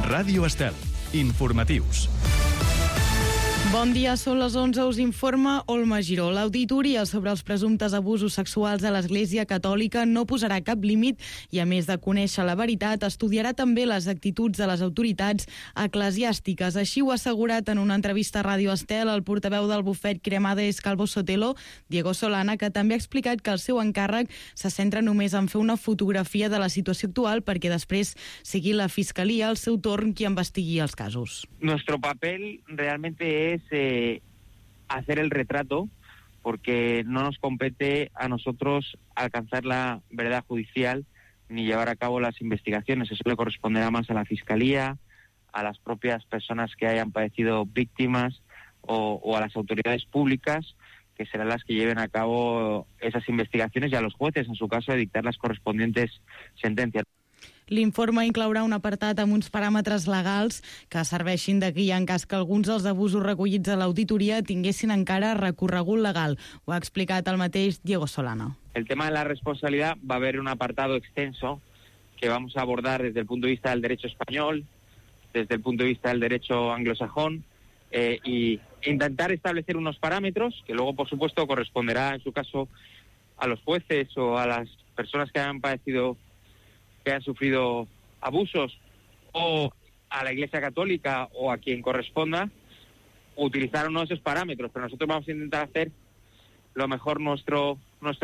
Ràdio Estel. Informatius. Bon dia, són les 11, us informa Olma Giró. L'auditoria sobre els presumptes abusos sexuals a l'Església Catòlica no posarà cap límit i, a més de conèixer la veritat, estudiarà també les actituds de les autoritats eclesiàstiques. Així ho ha assegurat en una entrevista a Ràdio Estel el portaveu del bufet Cremades Calvo Sotelo, Diego Solana, que també ha explicat que el seu encàrrec se centra només en fer una fotografia de la situació actual perquè després sigui la Fiscalia al seu torn qui investigui els casos. Nuestro papel realmente es hacer el retrato, porque no nos compete a nosotros alcanzar la verdad judicial ni llevar a cabo las investigaciones. Eso le corresponderá más a la Fiscalía, a las propias personas que hayan padecido víctimas o a las autoridades públicas, que serán las que lleven a cabo esas investigaciones, y a los jueces, en su caso, de dictar las correspondientes sentencias. L'informe inclourà un apartat amb uns paràmetres legals que serveixin de guia en cas que alguns dels abusos recollits a l'auditoria tinguessin encara recorregut legal. Ho ha explicat el mateix Diego Solana. El tema de la responsabilidad va a haber un apartado extenso que vamos a abordar desde el punto de vista del derecho español, desde el punto de vista del derecho anglosajón, y intentar establecer unos parámetros que luego, por supuesto, corresponderá en su caso a los jueces o a las personas que hayan padecido, que han sufrido abusos, o a la Iglesia Católica o a quien corresponda, utilizar uno de esos parámetros. Pero nosotros vamos a intentar hacer lo mejor nuestro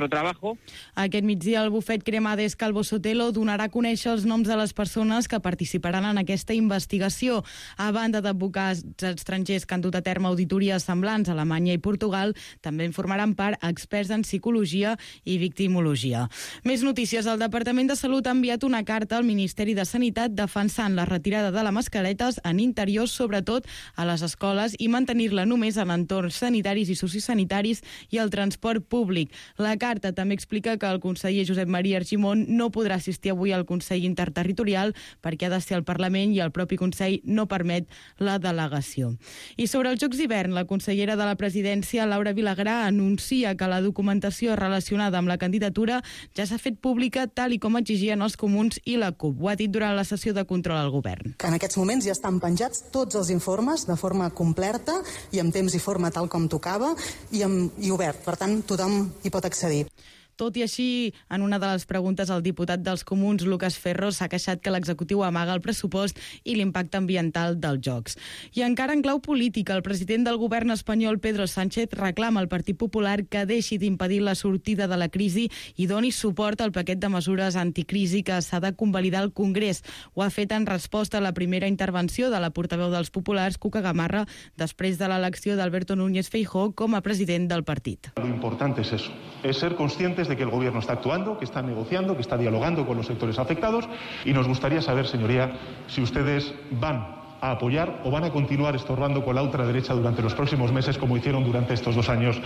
trabajo. Aquest migdia el bufet Cremades Calvo Sotelo donarà a conèixer els noms de les persones que participaran en aquesta investigació. A banda d'advocats estrangers que han dut a terme auditories semblants a Alemanya i Portugal, també en formaran part experts en psicologia i victimologia. Més notícies. El Departament de Salut ha enviat una carta al Ministeri de Sanitat defensant la retirada de les mascaretes en interiors, sobretot a les escoles, i mantenir-la només en entorns sanitaris i sociosanitaris i el transport públic. La carta també explica que el conseller Josep Maria Argimon no podrà assistir avui al Consell Interterritorial perquè ha de ser el Parlament i el propi Consell no permet la delegació. I sobre els Jocs d'hivern, la consellera de la Presidència, Laura Vilagrà, anuncia que la documentació relacionada amb la candidatura ja s'ha fet pública tal i com exigien els comuns i la CUP. Ho ha dit durant la sessió de control al govern. En aquests moments ja estan penjats tots els informes de forma completa i amb temps i forma tal com tocava i obert. Per tant, tothom hi pot accedir. Tot i així, en una de les preguntes, el diputat dels Comuns, Lucas Ferro, s'ha queixat que l'executiu amaga el pressupost i l'impacte ambiental dels Jocs. I encara en clau política, el president del govern espanyol, Pedro Sánchez, reclama al Partit Popular que deixi d'impedir la sortida de la crisi i doni suport al paquet de mesures anticrisi que s'ha de convalidar al Congrés. Ho ha fet en resposta a la primera intervenció de la portaveu dels populars, Cuca Gamarra, després de l'elecció d'Alberto Núñez Feijóo com a president del partit. Lo importante es eso, es ser conscientes de que el gobierno está actuando, que está negociando, que está dialogando con los sectores afectados, y nos gustaría saber, señoría, si ustedes van a apoyar o van a continuar estorbando con la ultraderecha durante los próximos meses, como hicieron durante estos 2 años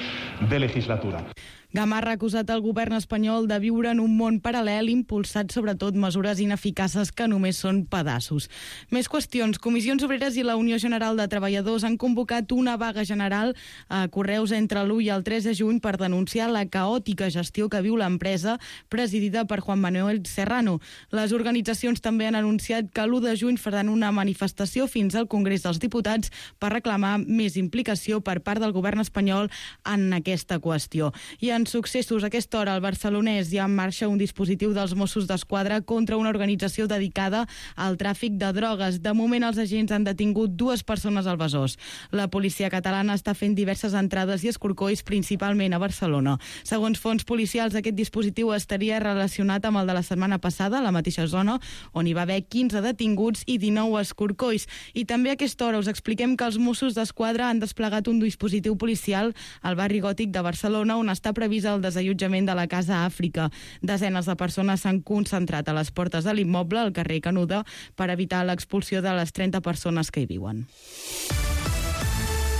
de legislatura. Gamarra ha acusat el govern espanyol de viure en un món paral·lel impulsat sobretot mesures ineficaces que només són pedaços. Més qüestions. Comissions Obreres i la Unió General de Treballadors han convocat una vaga general a Correus entre l'1 i el 3 de juny per denunciar la caòtica gestió que viu l'empresa presidida per Juan Manuel Serrano. Les organitzacions també han anunciat que l'1 de juny faran una manifestació fins al Congrés dels Diputats per reclamar més implicació per part del govern espanyol en aquesta qüestió. I en successos, a aquesta hora al Barcelonès hi ha en marxa un dispositiu dels Mossos d'Esquadra contra una organització dedicada al tràfic de drogues. De moment, els agents han detingut 2 persones al Besòs. La policia catalana està fent diverses entrades i escorcolls, principalment a Barcelona. Segons fonts policials, aquest dispositiu estaria relacionat amb el de la setmana passada, a la mateixa zona, on hi va haver 15 detinguts i 19 escorcolls. I també a aquesta hora us expliquem que els Mossos d'Esquadra han desplegat un dispositiu policial al barri Gòtic de Barcelona, on està previst el desallotjament de la Casa Àfrica. Desenes de persones s'han concentrat a les portes de l'immoble, al carrer Canuda, per evitar l'expulsió de les 30 persones que hi viuen.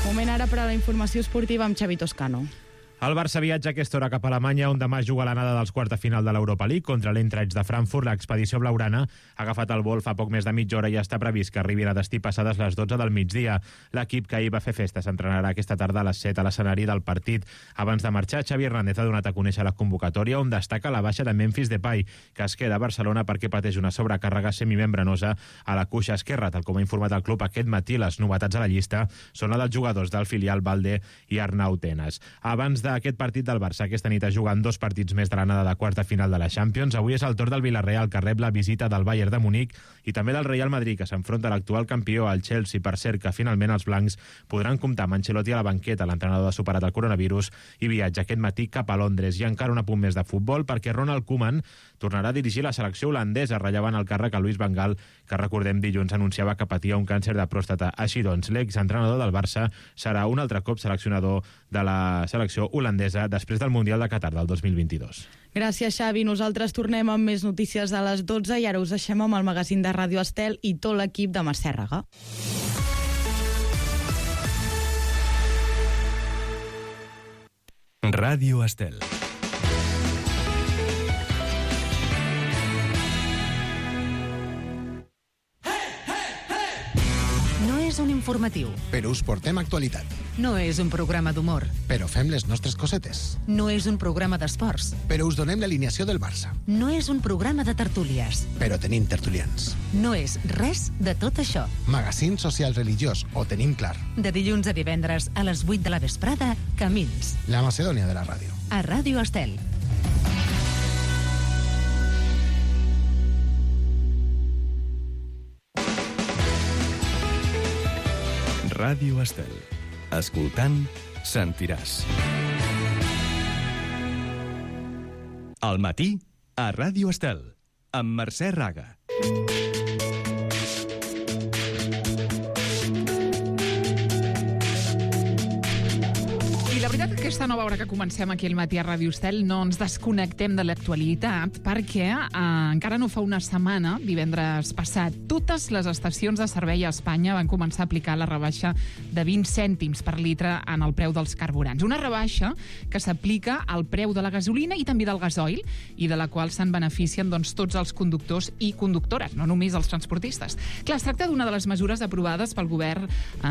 Moment ara per a la informació esportiva amb Xavi Toscano. El Barça viatja a aquesta hora cap a Alemanya, on demà juga l'anada dels quarts de final de l'Europa League contra l'Eintracht de Frankfurt. L'expedició blaugrana ha agafat el vol fa poc més de mitja hora i està previst que arribi a destí passades les 12 del migdia. L'equip que ahir va fer festa s'entrenarà aquesta tarda a les 7 a l'escenari del partit. Abans de marxar, Xavi Hernández ha donat a conèixer la convocatòria, on destaca la baixa de Memphis Depay, que es queda a Barcelona perquè pateix una sobrecàrrega semimembranosa a la cuixa esquerra. Tal com ha informat el club aquest matí, les novetats a la llista són la dels jugadors del filial Balde i Arnau Tenas. Abans d'aquest partit del Barça, aquesta nit es juguen 2 partits més de l'anada de quarts de final de la Champions. Avui és el torn del Villarreal, que rep la visita del Bayern de Munic, i també del Real Madrid, que s'enfronta a l'actual campió, al Chelsea. Per cert, que finalment els blancs podran comptar amb Ancelotti a la banqueta. L'entrenador ha superat el coronavirus i viatja aquest matí cap a Londres. I encara un apunt més de futbol, perquè Ronald Koeman tornarà a dirigir la selecció holandesa, rellevant el càrrec a Luis Van Gaal, que recordem dilluns anunciava que patia un càncer de pròstata. Així doncs, l'exentrenador del Barça serà un altre cop seleccionador de la selecció holandesa després del Mundial de Qatar del 2022. Gràcies, Xavi. Nosaltres tornem amb més notícies a les 12 i ara us deixem amb el magazín de Ràdio Estel i tot l'equip de Mercè Raga. Ràdio Estel. És un informatiu. Però us portem actualitat. No és un programa d'humor. Però fem les nostres cosetes. No és un programa d'esports. Però us donem l'alineació del Barça. No és un programa de tertúlies. Però tenim tertulians. No és res de tot això. Magazín social religiós, ho tenim clar. De dilluns a divendres a les 8 de la vesprada, Camins. La Macedònia de la ràdio. A Ràdio Estel. Ràdio Estel. Escoltant, sentiràs. Al matí, a Ràdio Estel, amb Mercè Raga. I la veritat, aquesta nova hora que comencem aquí al matí a Ràdio Estel no ens desconnectem de l'actualitat perquè encara no fa una setmana, divendres passat, totes les estacions de servei a Espanya van començar a aplicar la rebaixa de 20 cèntims per litre en el preu dels carburants. Una rebaixa que s'aplica al preu de la gasolina i també del gasoil i de la qual se'n beneficien tots els conductors i conductores, no només els transportistes. Clar, es tracta d'una de les mesures aprovades pel govern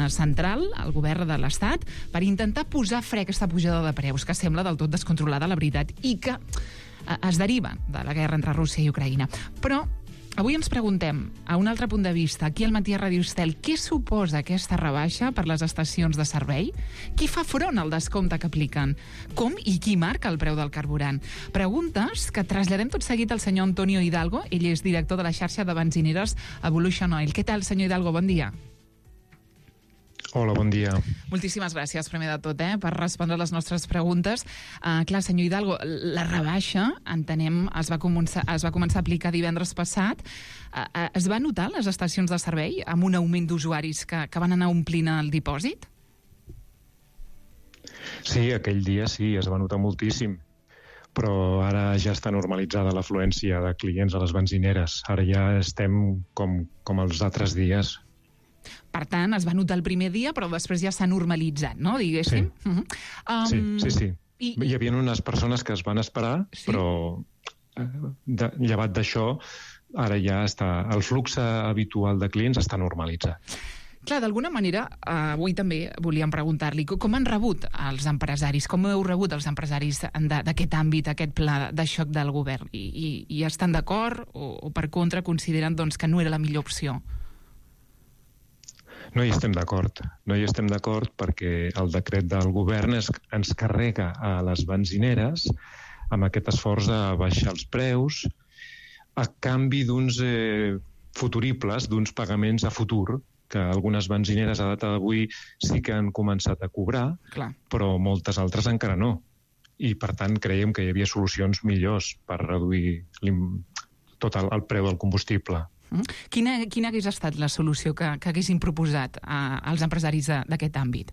central, el govern de l'Estat, per intentar posar fre a aquesta pujada de preus que sembla del tot descontrolada, la veritat, i que es deriva de la guerra entre Rússia i Ucraïna. Però avui ens preguntem, a un altre punt de vista, aquí al matí a Ràdio Estel, què suposa aquesta rebaixa per les estacions de servei? Qui fa front al descompte que apliquen? Com i qui marca el preu del carburant? Preguntes que traslladem tot seguit al senyor Antonio Hidalgo. Ell és director de la xarxa de benzineres Evolution Oil. Què tal, senyor Hidalgo? Bon dia. Hola, bon dia. Moltíssimes gràcies, primer de tot, per respondre les nostres preguntes. Clar, senyor Hidalgo, la rebaixa, entenem, es va començar a aplicar divendres passat. Es va notar les estacions de servei amb un augment d'usuaris que van anar omplint el dipòsit? Sí, aquell dia sí, es va notar moltíssim. Però ara ja està normalitzada l'afluència de clients a les benzineres. Ara ja estem com els altres dies. Per tant, es va notar el primer dia, però després ja s'ha normalitzat, no?, diguéssim. Sí. Sí. Hi havia unes persones que es van esperar, sí? Però llevat d'això, ara ja està... El flux habitual de clients està normalitzat. Clar, d'alguna manera, avui també volíem preguntar-li com han rebut els empresaris, com heu rebut els empresaris d'aquest àmbit, aquest pla de xoc del govern? I estan d'acord o per contra consideren que no era la millor opció? No hi estem d'acord. No hi estem d'acord perquè el decret del govern ens carrega a les benzineres amb aquest esforç de baixar els preus a canvi d'uns futuribles, d'uns pagaments a futur, que algunes benzineres a data d'avui sí que han començat a cobrar, clar, però moltes altres encara no. I, per tant, creiem que hi havia solucions millors per reduir tot el preu del combustible. Quina hagués estat la solució que haguessin proposat als empresaris d'aquest àmbit?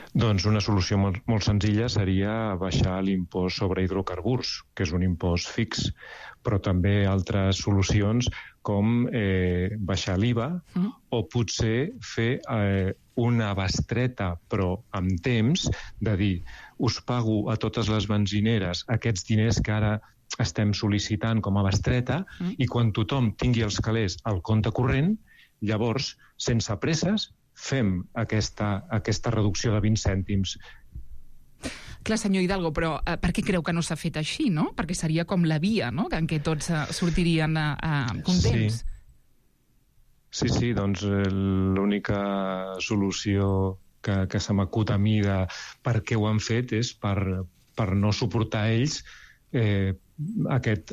Doncs una solució molt senzilla seria baixar l'impost sobre hidrocarburs, que és un impost fix, però també altres solucions com baixar l'IVA o potser fer una bestreta, però amb temps, de dir, us pago a totes les benzineres aquests diners que ara estem sol·licitant com a bestreta i quan tothom tingui els calés al compte corrent, llavors, sense presses, fem aquesta reducció de 20 cèntims. Clar, senyor Hidalgo, però per què creu que no s'ha fet així, no? Perquè seria com la via, no?, en què tots sortirien contents. Sí, doncs l'única solució que se m'acut a mi de per què ho han fet és per no suportar ells aquest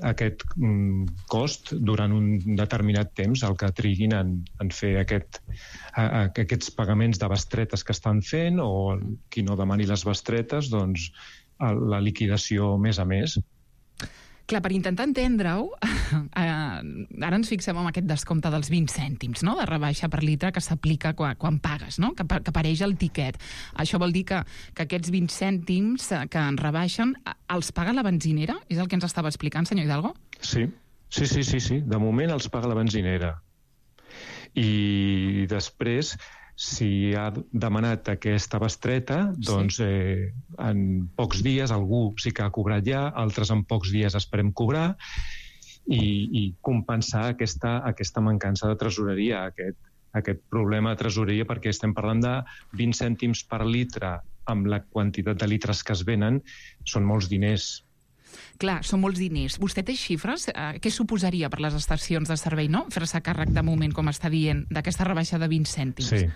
cost durant un determinat temps, el que triguin en fer aquests pagaments de bestretes que estan fent, o qui no demani les bestretes, doncs la liquidació mes a mes. Clar, per intentar entendre-ho, ara ens fixem en aquest descompte dels 20 cèntims, no?, de rebaixa per litre que s'aplica quan pagues, no?, que apareix el tiquet. Això vol dir que aquests 20 cèntims que en rebaixen els paga la benzinera? És el que ens estava explicant, senyor Hidalgo? Sí. De moment els paga la benzinera. I després, si ha demanat aquesta bestreta, doncs en pocs dies algú sí que ha cobrat ja, altres en pocs dies esperem cobrar i compensar aquesta mancança de tresoreria, aquest problema de tresoreria, perquè estem parlant de 20 cèntims per litre amb la quantitat de litres que es venen, són molts diners. Clar, són molts diners. Vostè té xifres? Què suposaria per les estacions de servei, no?, fer-se càrrec de moment, com està dient, d'aquesta rebaixa de 20 cèntims? Sí.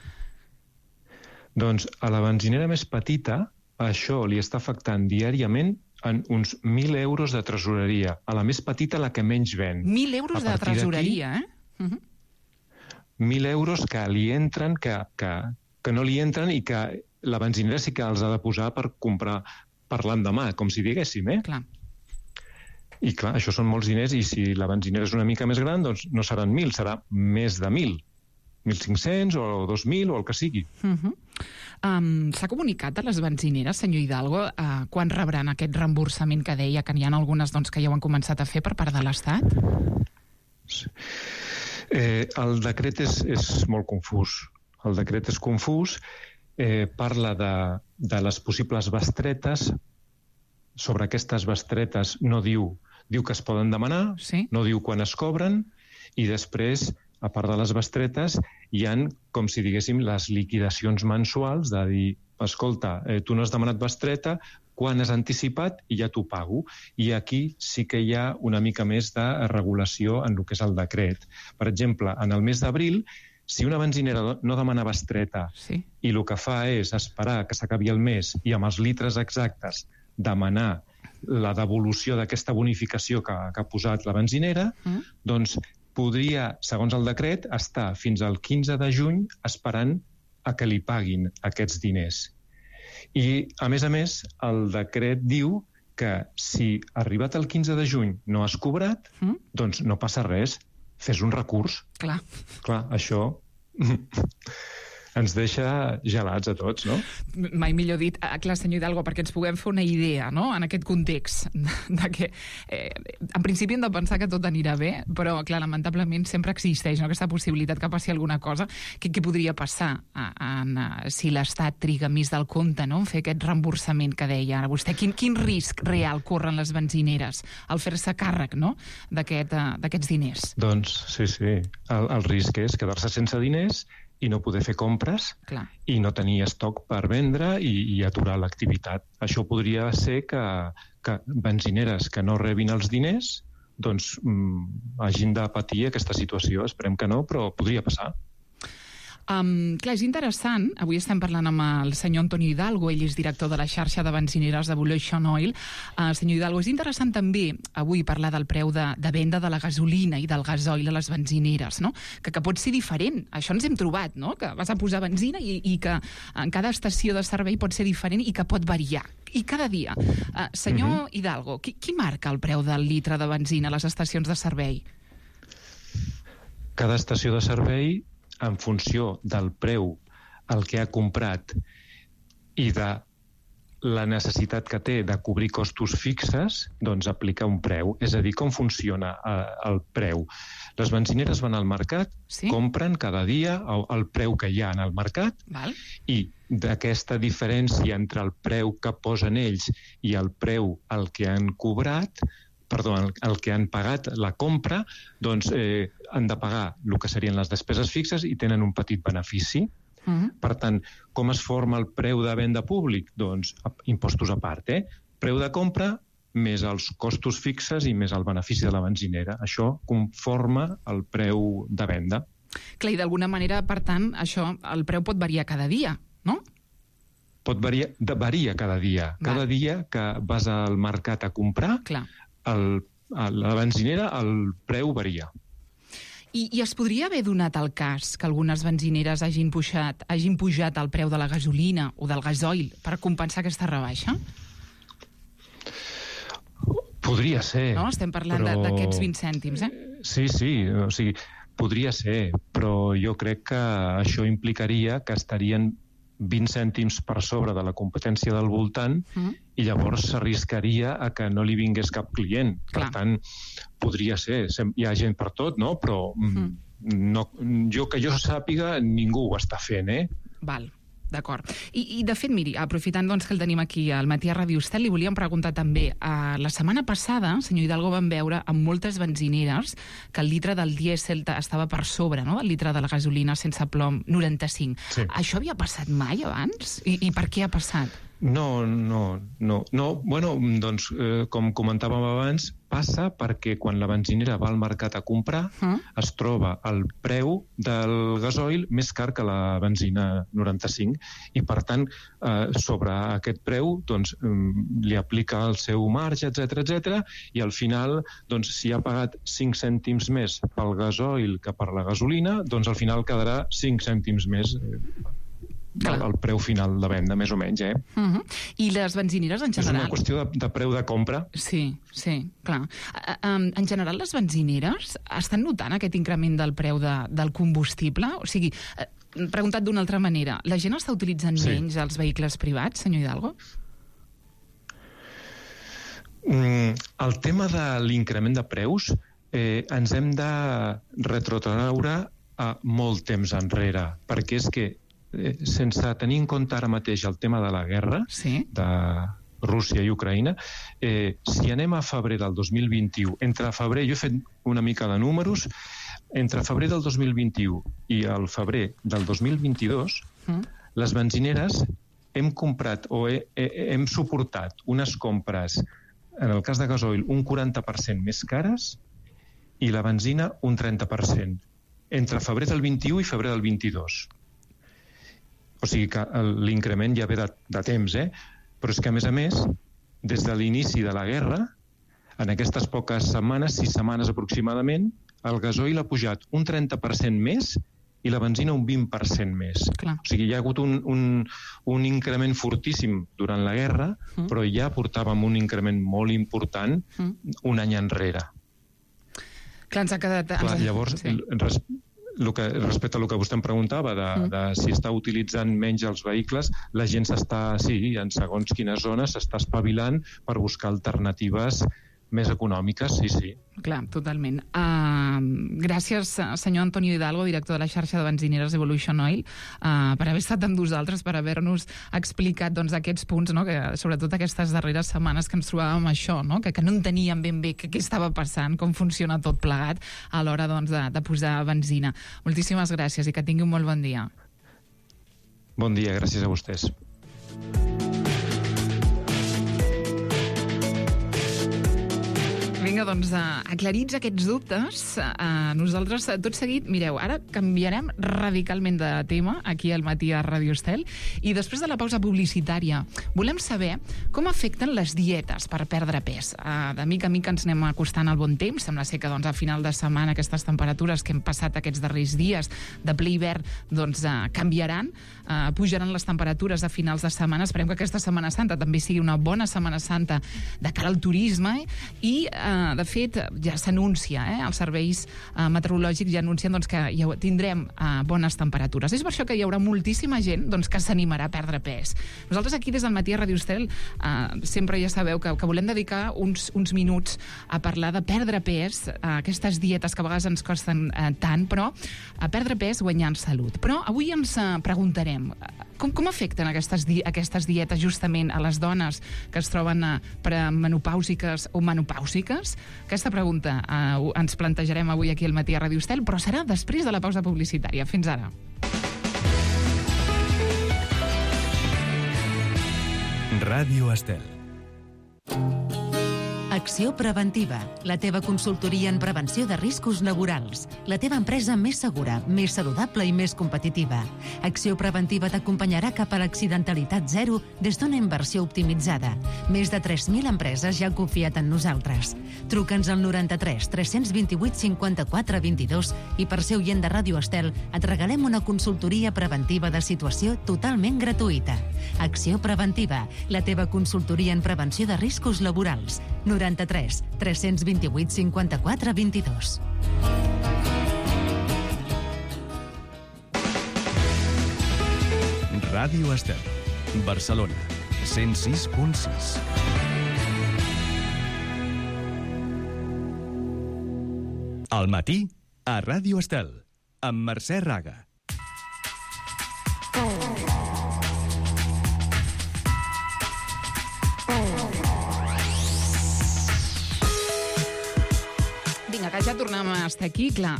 Doncs a la benzinera més petita això li està afectant diàriament en uns 1.000 euros de tresoreria. A la més petita, la que menys ven. 1.000 euros de tresoreria, 1.000 euros que li entren, que no li entren i que la benzinera sí que els ha de posar per comprar per l'endemà, com si diguéssim, Clar. I clar, això són molts diners i si la benzinera és una mica més gran, doncs no seran 1.000, serà més de 1.000. 1.500 o 2.000 o el que sigui. S'ha comunicat a les benzineres, senyor Hidalgo, quan rebran aquest reemborsament que deia que n'hi ha algunes que ja ho han començat a fer per part de l'Estat? Sí. El decret és molt confús. El decret és confús, parla de les possibles bestretes. Sobre aquestes bestretes no diu que es poden demanar, no diu quan es cobren, i després, a part de les bestretes, hi han, com si diguéssim, les liquidacions mensuals de dir, escolta, tu no has demanat bestreta, quan has anticipat i ja t'ho pago. I aquí sí que hi ha una mica més de regulació en el que és el decret. Per exemple, en el mes d'abril, si una benzinera no demana bestreta i el que fa és esperar que s'acabi el mes i amb els litres exactes demanar la devolució d'aquesta bonificació que ha posat la benzinera, doncs podria, segons el decret, estar fins al 15 de juny esperant a que li paguin aquests diners. I, a més, el decret diu que si arribat el 15 de juny no has cobrat, doncs no passa res, fes un recurs. Clar, això ens deixa gelats a tots, no? Mai millor dit. Clar, senyor Hidalgo, perquè ens puguem fer una idea, no?, en aquest context, de que en principi hem de pensar que tot anirà bé, però, clar, lamentablement sempre existeix aquesta possibilitat que passi alguna cosa. Què podria passar si l'Estat triga més del compte, no?, en fer aquest reemborsament que deia ara vostè? Quin risc real corren les benzineres al fer-se càrrec, no?, d'aquests diners? Doncs sí. El risc és quedar-se sense diners i no poder fer compres i no tenir estoc per vendre i aturar l'activitat. Això podria ser que benzineres que no rebin els diners doncs hagin de patir aquesta situació. Esperem que no, però podria passar. Clar, és interessant. Avui estem parlant amb el senyor Antonio Hidalgo, ell és director de la xarxa de benzineres d'Evolution Oil. Senyor Hidalgo, és interessant també avui parlar del preu de venda de la gasolina i del gasoil a les benzineres, no?, que pot ser diferent. Això ens hem trobat, no?, que vas a posar benzina i que en cada estació de servei pot ser diferent i que pot variar. I cada dia. Senyor Hidalgo, qui marca el preu del litre de benzina a les estacions de servei? Cada estació de servei, en funció del preu al que ha comprat i de la necessitat que té de cobrir costos fixes, doncs aplica un preu. És a dir, com funciona el preu. Les benzineres van al mercat, compren cada dia el preu que hi ha en el mercat, i d'aquesta diferència entre el preu que posen ells i el preu al que han cobrat, el que han pagat la compra, doncs han de pagar el que serien les despeses fixes i tenen un petit benefici. Per tant, com es forma el preu de venda públic? Doncs impostos a part, preu de compra més els costos fixes i més el benefici de la benzinera. Això conforma el preu de venda. Clar, i d'alguna manera, per tant, això, el preu pot variar cada dia, no? Varia cada dia. Cada dia que vas al mercat a comprar, a la benzinera el preu varia. I es podria haver donat el cas que algunes benzineres hagin pujat el preu de la gasolina o del gasoil per compensar aquesta rebaixa? Podria ser. No? Estem parlant d'aquests 20 cèntims, Sí, o sigui, podria ser, però jo crec que això implicaria que estarien 20 cèntims per sobre de la competència del voltant i llavors s'arriscaria a que no li vingués cap client. Per tant, podria ser. Hi ha gent per tot, no? Però que jo sàpiga, ningú ho està fent, Val. D'acord. I de fet, miri, aprofitant doncs, que el tenim aquí al Matí a Ràdio Estel, li volíem preguntar també. La setmana passada, senyor Hidalgo, vam veure amb moltes benzineres que el litre del dièsel estava per sobre, no?, del litre de la gasolina sense plom 95. Sí. Això havia passat mai abans? I per què ha passat? No. Bueno, doncs, com comentàvem abans, passa perquè quan la benzinera va al mercat a comprar es troba el preu del gasoil més car que la benzina 95 i, per tant, sobre aquest preu doncs, li aplica el seu marge, etc i al final, doncs, si ha pagat 5 cèntims més pel gasoil que per la gasolina, doncs al final quedarà 5 cèntims més el preu final de venda, més o menys, I les benzineres, en general... És una qüestió de preu de compra. Sí, clar. En general, les benzineres estan notant aquest increment del preu del combustible? O sigui, preguntat d'una altra manera, la gent està utilitzant menys els vehicles privats, senyor Hidalgo? El tema de l'increment de preus ens hem de retrotraure a molt temps enrere, perquè és que sense tenir en compte ara mateix el tema de la guerra de Rússia i Ucraïna, si anem a febrer del 2021, entre febrer, jo he fet una mica de números, entre febrer del 2021 i el febrer del 2022, les benzineres hem comprat o hem suportat unes compres, en el cas de gasoil, un 40% més cares i la benzina un 30%, entre febrer del 21 i febrer del 22. O sigui que l'increment ja ve de temps, però és que, a més, des de l'inici de la guerra, en aquestes poques setmanes, 6 setmanes aproximadament, el gasoil ha pujat un 30% més i la benzina un 20% més. Clar. O sigui, hi ha hagut un increment fortíssim durant la guerra, però ja portàvem un increment molt important un any enrere. Clar, ens ha quedat... Clar, llavors... Respecte a el que vostè em preguntava de si està utilitzant menys els vehicles, la gent en segons quines zones s'està espavilant per buscar alternatives més econòmiques, sí. Clar, totalment. Gràcies, senyor Antonio Hidalgo, director de la xarxa de benzineres Evolution Oil, per haver estat amb nosaltres, per haver-nos explicat aquests punts, no? Que, sobretot aquestes darreres setmanes que ens trobàvem això, no? Que no enteníem ben bé què estava passant, com funciona tot plegat a l'hora de posar benzina. Moltíssimes gràcies i que tingui un molt bon dia. Bon dia, gràcies a vostès. Vinga, doncs, aclarits aquests dubtes, nosaltres, tot seguit, mireu, ara canviarem radicalment de tema aquí al Matí a Ràdio Estel i després de la pausa publicitària volem saber com afecten les dietes per perdre pes. De mica a mica ens anem acostant al bon temps, sembla ser que a final de setmana aquestes temperatures que hem passat aquests darrers dies de ple hivern canviaran, pujaran les temperatures a finals de setmana. Esperem que aquesta Setmana Santa també sigui una bona Setmana Santa de cara al turisme i de fet, ja s'anuncia, els serveis meteorològics ja anuncien doncs, que ja tindrem bones temperatures. És per això que hi haurà moltíssima gent doncs, que s'animarà a perdre pes. Nosaltres aquí des del Matí a Ràdio Estel sempre ja sabeu que volem dedicar uns minuts a parlar de perdre pes, aquestes dietes que a vegades ens costen tant, però a perdre pes guanyant salut. Però avui ens preguntarem com afecten aquestes dietes justament a les dones que es troben premenopàusiques o menopàusiques? Aquesta pregunta ens plantejarem avui aquí al Matí a Ràdio Estel, però serà després de la pausa publicitària. Fins ara. Ràdio Estel. Acció Preventiva, la teva consultoria en prevenció de riscos laborals. La teva empresa més segura, més saludable i més competitiva. Acció Preventiva t'acompanyarà cap a l'accidentalitat zero des d'una inversió optimitzada. Més de 3.000 empreses ja han confiat en nosaltres. Truca'ns al 93 328 54 22 i per ser oient de Ràdio Estel et regalem una consultoria preventiva de situació totalment gratuïta. Acció Preventiva, la teva consultoria en prevenció de riscos laborals. 93 328 54 22. Ràdio Estel, Barcelona, 106.6. Al matí, a Ràdio Estel, amb Mercè Raga. Vinga, que ja tornem a estar aquí. Clar,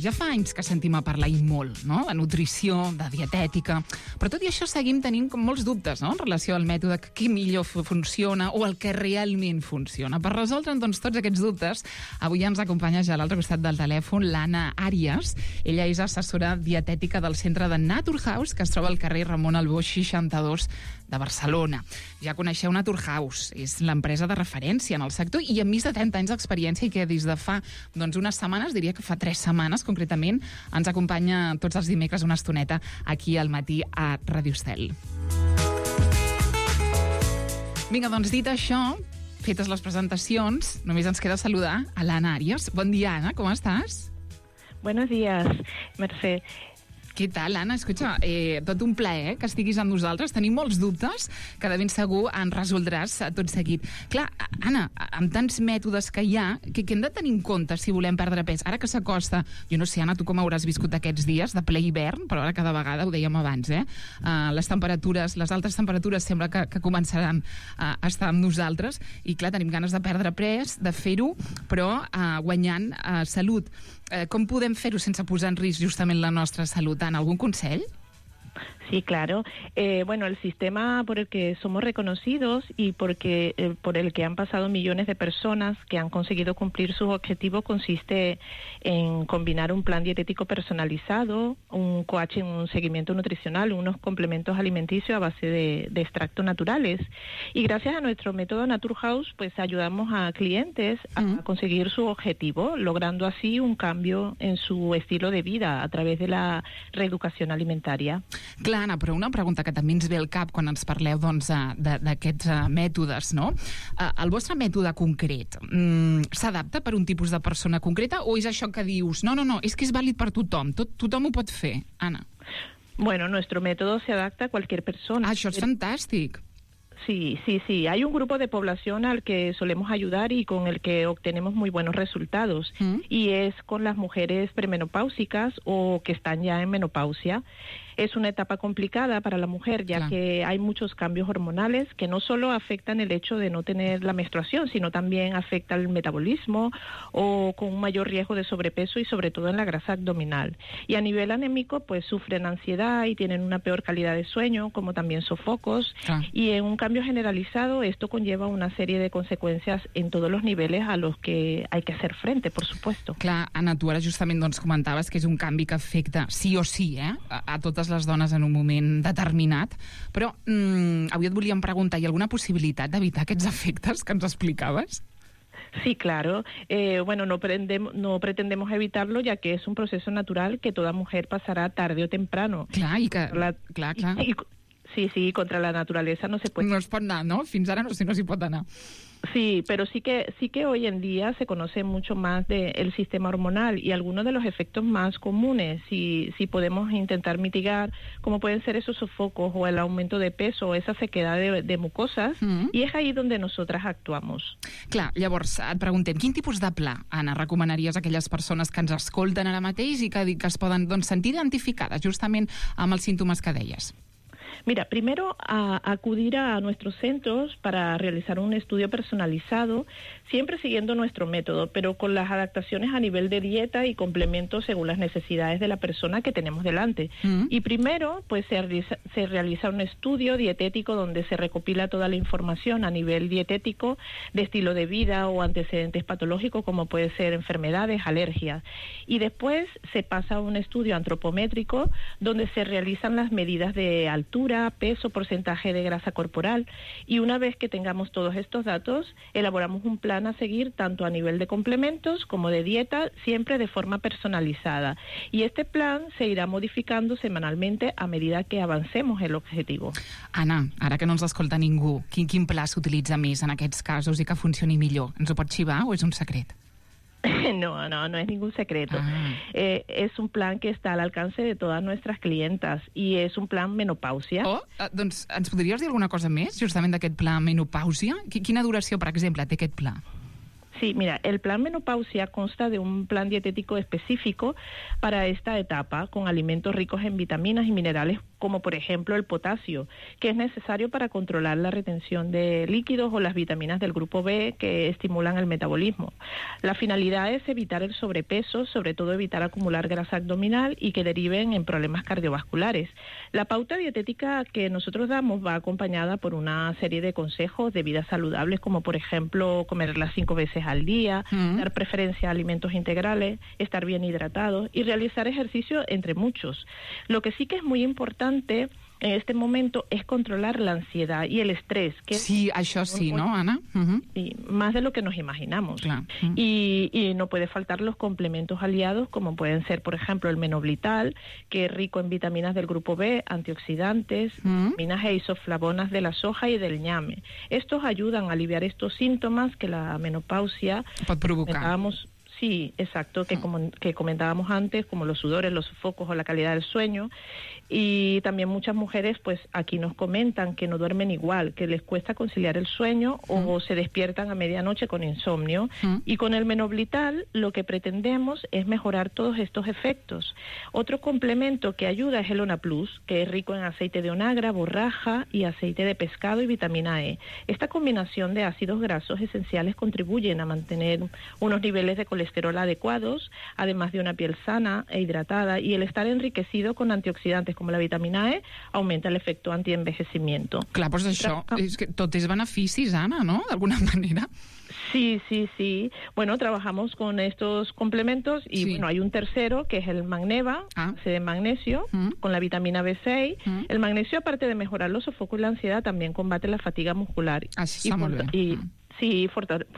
ja fa anys que sentim a parlar i molt, no?, de nutrició, de dietètica, però tot i això seguim tenint com molts dubtes, no?, en relació al mètode, què millor funciona o el que realment funciona. Per resoldre, doncs, tots aquests dubtes, avui ens acompanya ja a l'altre costat del telèfon l'Anna Àries. Ella és assessora dietètica del centre de Naturhaus, que es troba al carrer Ramon Albó 62 de Barcelona. Ja coneixeu Naturhaus, és l'empresa de referència en el sector i amb més de 30 anys d'experiència i que des de fa unes setmanes, diria que fa 3 setmanes concretament, ens acompanya tots els dimecres una estoneta aquí al matí a Ràdio Estel. Vinga, doncs dit això, fetes les presentacions, només ens queda saludar a l'Anna Àries. Bon dia, Anna, com estàs? Buenos días, Mercè. Què tal, Anna? Escolta, tot un plaer que estiguis amb nosaltres. Tenim molts dubtes que de ben segur en resoldràs tot seguit. Clar, Anna, amb tants mètodes que hi ha, què hem de tenir en compte si volem perdre pes? Ara que s'acosta, jo no sé, Anna, tu com hauràs viscut aquests dies de ple hivern, però ara cada vegada, ho dèiem abans, les temperatures, les altes temperatures sembla que començaran a estar amb nosaltres i, clar, tenim ganes de perdre pes, de fer-ho, però guanyant salut. Com podem fer-ho sense posar en risc justament la nostra salut? Anna, algun consell? Sí, claro. Bueno, el sistema por el que somos reconocidos y por el que han pasado millones de personas que han conseguido cumplir sus objetivos consiste en combinar un plan dietético personalizado, un coaching, un seguimiento nutricional, unos complementos alimenticios a base de extractos naturales. Y gracias a nuestro método Naturhaus, pues ayudamos a clientes a conseguir su objetivo, logrando así un cambio en su estilo de vida a través de la reeducación alimentaria. Clar, Anna, però una pregunta que també ens ve al cap quan ens parleu d'aquests mètodes, no? El vostre mètode concret s'adapta per un tipus de persona concreta o és això que dius, no, és que és vàlid per tothom, tothom ho pot fer, Anna? Bueno, nuestro método se adapta a cualquier persona. Això és fantàstic. Sí. Hay un grupo de población al que solemos ayudar y con el que obtenemos muy buenos resultados. Y es con las mujeres premenopáusicas o que están ya en menopausia. Es una etapa complicada para la mujer, ya que hay muchos cambios hormonales que no solo afectan el hecho de no tener la menstruación, sino también afecta el metabolismo o con un mayor riesgo de sobrepeso y sobre todo en la grasa abdominal. Y a nivel anémico, pues sufren ansiedad y tienen una peor calidad de sueño, como también sofocos. Y en un cambio generalizado, esto conlleva una serie de conseqüències en tots els nivells a los que hay que hacer frente, por supuesto. Clar, Anna, tu ara justament comentaves que és un canvi que afecta sí o sí a totes les dones en un moment determinat, però avui et volíem preguntar, hi ha alguna possibilitat d'evitar aquests efectes que ens explicaves? Sí, claro. Bueno, no pretendemos evitarlo, ya que es un proceso natural que toda mujer pasará tarde o temprano. Clar, i que... Sí, contra la naturalesa no se puede... No es pot anar, no? Fins ara no sé, no s'hi pot anar. Sí, pero sí que hoy en día se conoce mucho más del sistema hormonal y algunos de los efectos más comunes, si podemos intentar mitigar, como pueden ser esos sofocos o el aumento de peso o esa sequedad de mucosas, i és ahí donde nosotras actuamos. Clar, llavors et preguntem, quin tipus de pla, Anna, recomanaries a aquelles persones que ens escolten ara mateix i que es poden sentir identificades justament amb els símptomes que deies? Mira, primero acudir a nuestros centros para realizar un estudio personalizado, siempre siguiendo nuestro método, pero con las adaptaciones a nivel de dieta y complementos según las necesidades de la persona que tenemos delante. Y primero, pues se realiza un estudio dietético donde se recopila toda la información a nivel dietético de estilo de vida o antecedentes patológicos, como puede ser enfermedades, alergias. Y después se pasa a un estudio antropométrico donde se realizan las medidas de altura, peso, porcentaje de grasa corporal, y una vez que tengamos todos estos datos, elaboramos un plan a seguir tanto a nivel de complementos como de dieta, siempre de forma personalizada. Y este plan se irá modificando semanalmente a medida que avancemos el objetivo. Anna, ara que no ens escolta ningú, quin pla s'utilitza més en aquests casos i que funcioni millor? Ens ho pots xivar o és un secret? No es ningún secreto. Es un plan que está al alcance de todas nuestras clientas y es un plan menopausia. Doncs ens podries dir alguna cosa més justament d'aquest pla menopausia? Quina duració, per exemple, té aquest pla? Sí, mira, el plan menopausia consta de un plan dietético específico para esta etapa, con alimentos ricos en vitaminas y minerales, como por ejemplo el potasio, que es necesario para controlar la retención de líquidos, o las vitaminas del grupo B que estimulan el metabolismo. La finalidad es evitar el sobrepeso, sobre todo evitar acumular grasa abdominal y que deriven en problemas cardiovasculares. La pauta dietética que nosotros damos va acompañada por una serie de consejos de vida saludables, como por ejemplo comerlas 5 veces al día, dar preferencia a alimentos integrales, estar bien hidratados y realizar ejercicio, entre muchos. Lo que sí que es muy importante en este momento es controlar la ansiedad y el estrés. Que sí, això sí, ¿no, Ana? Sí, más de lo que nos imaginamos. Y no puede faltar los complementos aliados, como pueden ser, por ejemplo, el menoblital, que es rico en vitaminas del grupo B, antioxidantes, vitaminas e isoflavonas de la soja y del ñame. Estos ayudan a aliviar estos síntomas que la menopausia pot provocar. Sí, exacto, que comentábamos antes, como los sudores, los sofocos o la calidad del sueño. Y también muchas mujeres, pues aquí nos comentan que no duermen igual, que les cuesta conciliar el sueño o se despiertan a medianoche con insomnio. Y con el menoblital lo que pretendemos es mejorar todos estos efectos. Otro complemento que ayuda es el Ona Plus, que es rico en aceite de onagra, borraja y aceite de pescado y vitamina E. Esta combinación de ácidos grasos esenciales contribuyen a mantener unos niveles de colesterol adecuados, además de una piel sana e hidratada, y el estar enriquecido con antioxidantes como la vitamina E aumenta el efecto antienvejecimiento. Clar, doncs això, és que tot és beneficis, Anna, ¿no? D'alguna manera. Sí. Bueno, trabajamos con estos complementos y bueno, hay un tercero que es el Magneva, de magnesio, con la vitamina B6. El magnesio, aparte de mejorar los sofocos y la ansiedad, también combate la fatiga muscular. Así está molt bé. Sí,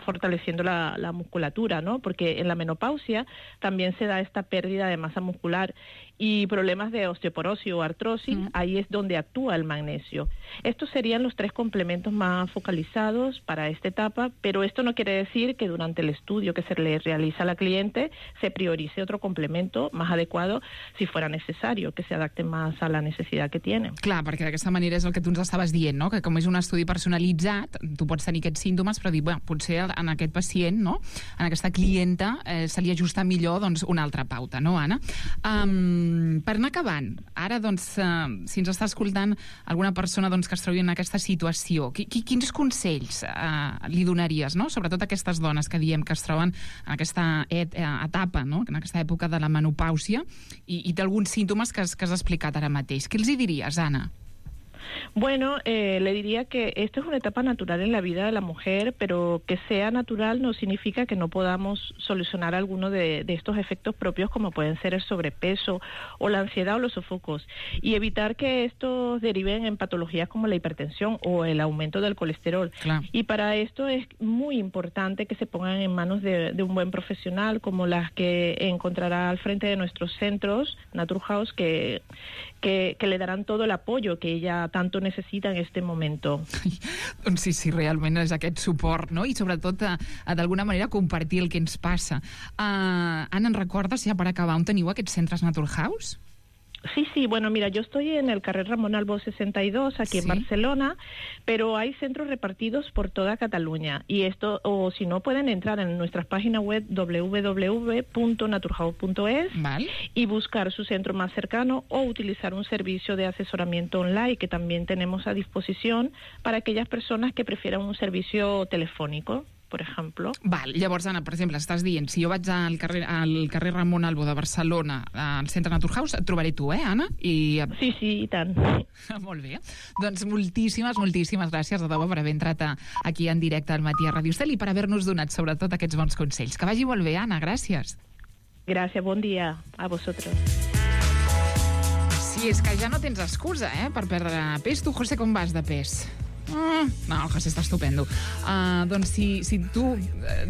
fortaleciendo la musculatura, ¿no? Porque en la menopausia también se da esta pérdida de masa muscular y problemas de osteoporosis o artrosis, ahí es donde actúa el magnesio. Estos serían los 3 complementos más focalizados para esta etapa, pero esto no quiere decir que durante el estudio que se le realiza a la cliente se priorice otro complemento más adecuado si fuera necesario, que se adapte más a la necesidad que tiene. Clar, perquè d'aquesta manera és el que tu ens estaves dient, no? Que com és un estudi personalitzat, tu pots tenir aquests símptomes, però dir, bueno, potser en aquest pacient, no? En aquesta clienta se li ajusta millor doncs, una altra pauta, no, Anna? Per anar acabant, ara, doncs, si ens està escoltant alguna persona doncs, que es trobi en aquesta situació, quins consells li donaries, no? Sobretot a aquestes dones que diem que es troben en aquesta etapa, no? En aquesta època de la menopàusia i té alguns símptomes que has explicat ara mateix. Què els hi diries, Anna? Bueno, le diría que esto es una etapa natural en la vida de la mujer, pero que sea natural no significa que no podamos solucionar alguno de estos efectos propios, como pueden ser el sobrepeso o la ansiedad o los sofocos, y evitar que estos deriven en patologías como la hipertensión o el aumento del colesterol. Claro. Y para esto es muy importante que se pongan en manos de un buen profesional, como las que encontrará al frente de nuestros centros, Naturhaus, que le darán todo el apoyo que ella tanto necesita en este momento. Doncs sí, realment és aquest suport, no? I sobretot, d'alguna manera, compartir el que ens passa. Anna, ¿en recordes, ja per acabar, on teniu aquests centres Naturhaus? Sí, bueno, mira, yo estoy en el carrer Ramón Albó 62, aquí en Barcelona, pero hay centros repartidos por toda Cataluña. Y esto, o si no, pueden entrar en nuestras páginas web www.naturhaus.es y buscar su centro más cercano o utilizar un servicio de asesoramiento online que también tenemos a disposición para aquellas personas que prefieran un servicio telefónico, per exemple. Llavors, Anna, per exemple, estàs dient, si jo vaig al carrer Ramon Albó de Barcelona, al centre Naturhaus, et trobaré tu, Anna? Sí, i tant. Molt bé. Doncs moltíssimes gràcies de debò per haver entrat aquí en directe al Matí a Ràdio Estel i per haver-nos donat, sobretot, aquests bons consells. Que vagi molt bé, Anna, gràcies. Gràcies, bon dia a vosaltres. Sí, és que ja no tens excusa, per perdre pes. Tu, José, com vas de pes? No, el José està estupendo. Doncs si tu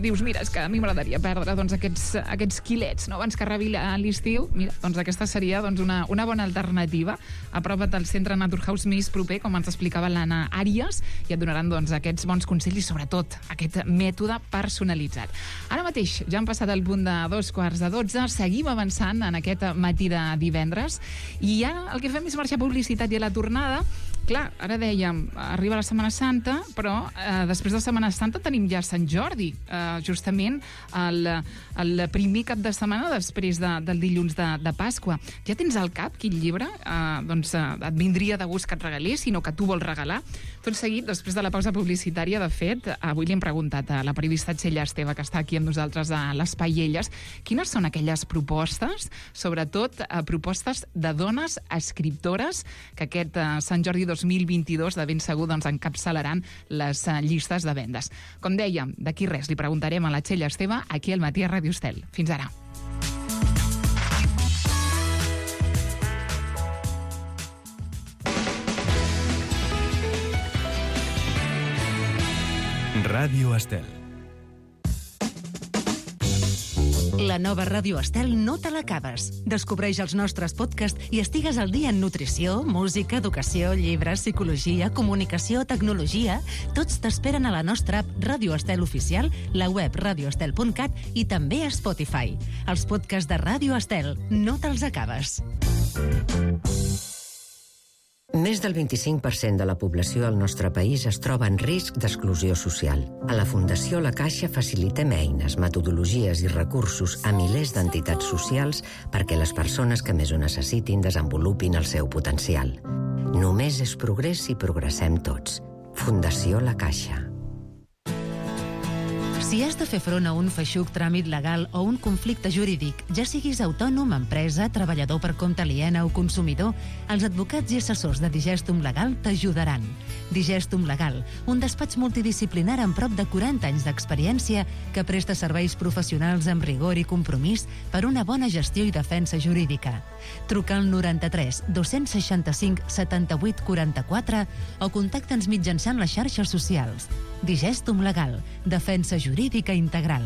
dius, mira, és que a mi m'agradaria perdre aquests quilets, no? Abans que arribi l'estiu, mira, doncs aquesta seria una bona alternativa. Apropa't al centre Naturhaus més proper, com ens explicava l'Anna Àries, i et donaran aquests bons consells i sobretot aquest mètode personalitzat. Ara mateix ja han passat el punt de 11:45, seguim avançant en aquest matí de divendres i ara el que fem és marxar publicitat i a la tornada. Clar, ara dèiem, arriba la Setmana Santa, però després de Setmana Santa tenim ja Sant Jordi, justament el primer cap de setmana després del dilluns de Pasqua. Ja tens al cap quin llibre et vindria de gust que et regalés, sinó que tu vols regalar? Tot seguit, després de la pausa publicitària, de fet, avui li hem preguntat a la periodista Txell Esteve, que està aquí amb nosaltres a l'Espai Elles, quines són aquelles propostes, sobretot propostes de dones escriptores, que aquest Sant Jordi 2022 de ben segur encapçalaran les llistes de vendes. Com dèiem, d'aquí res li preguntarem a la Txell Esteve aquí al Matí a Ràdio Estel. Fins ara. Ràdio Estel. La nova Ràdio Estel no te l'acabes. Descobreix els nostres podcasts i estigues al dia en nutrició, música, educació, llibres, psicologia, comunicació, tecnologia. Tots t'esperen a la nostra app Ràdio Estel Oficial, la web radioestel.cat i també a Spotify. Els podcasts de Ràdio Estel no te'ls acabes. Més del 25% de la població al nostre país es troba en risc d'exclusió social. A la Fundació La Caixa facilitem eines, metodologies i recursos a milers d'entitats socials perquè les persones que més ho necessitin desenvolupin el seu potencial. Només és progrés si progressem tots. Fundació La Caixa. Si has de fer front a un feixuc tràmit legal o un conflicte jurídic, ja siguis autònom, empresa, treballador per compte aliena o consumidor, els advocats i assessors de Digestum Legal t'ajudaran. Digestum Legal, un despatx multidisciplinar amb prop de 40 anys d'experiència que presta serveis professionals amb rigor i compromís per una bona gestió i defensa jurídica. Truca al 93 265 78 44 o contacta'ns mitjançant les xarxes socials. Digestum Legal, defensa jurídica integral.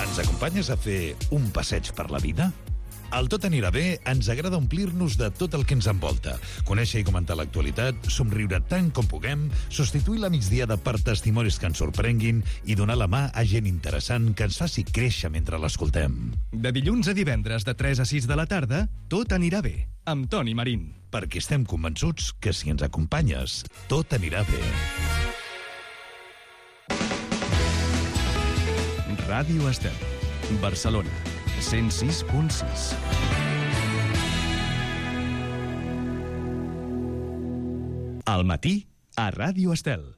Ens acompanyes a fer un passeig per la vida? Al Tot anirà bé ens agrada omplir-nos de tot el que ens envolta, conèixer i comentar l'actualitat, somriure tant com puguem, substituir la migdiada per testimonis que ens sorprenguin i donar la mà a gent interessant que ens faci créixer mentre l'escoltem. De dilluns a divendres de 3 a 6 de la tarda, Tot anirà bé, amb Toni Marín. Perquè estem convençuts que si ens acompanyes, tot anirà bé. Ràdio Estel, Barcelona, 106.6. Al matí, a Ràdio Estel.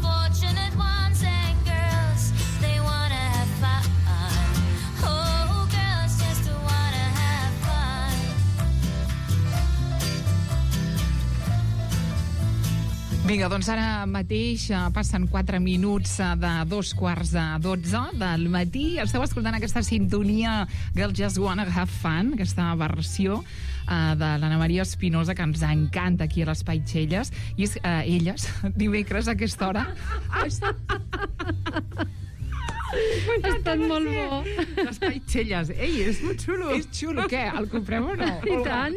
Fortunate ones and girls, they wanna have fun. Vinga, doncs ara mateix passen 4 minuts de 2:45 del matí. Esteu escoltant aquesta sintonia Girls Just Wanna Have Fun, aquesta versió de l'Anna Maria Espinosa, que ens encanta aquí a l'Espai Txelles. I és elles, dimecres a aquesta hora... Ha estat molt bo. L'Espai Txelles. Ei, és molt xulo. És xulo, què? El comprem o no? I tant,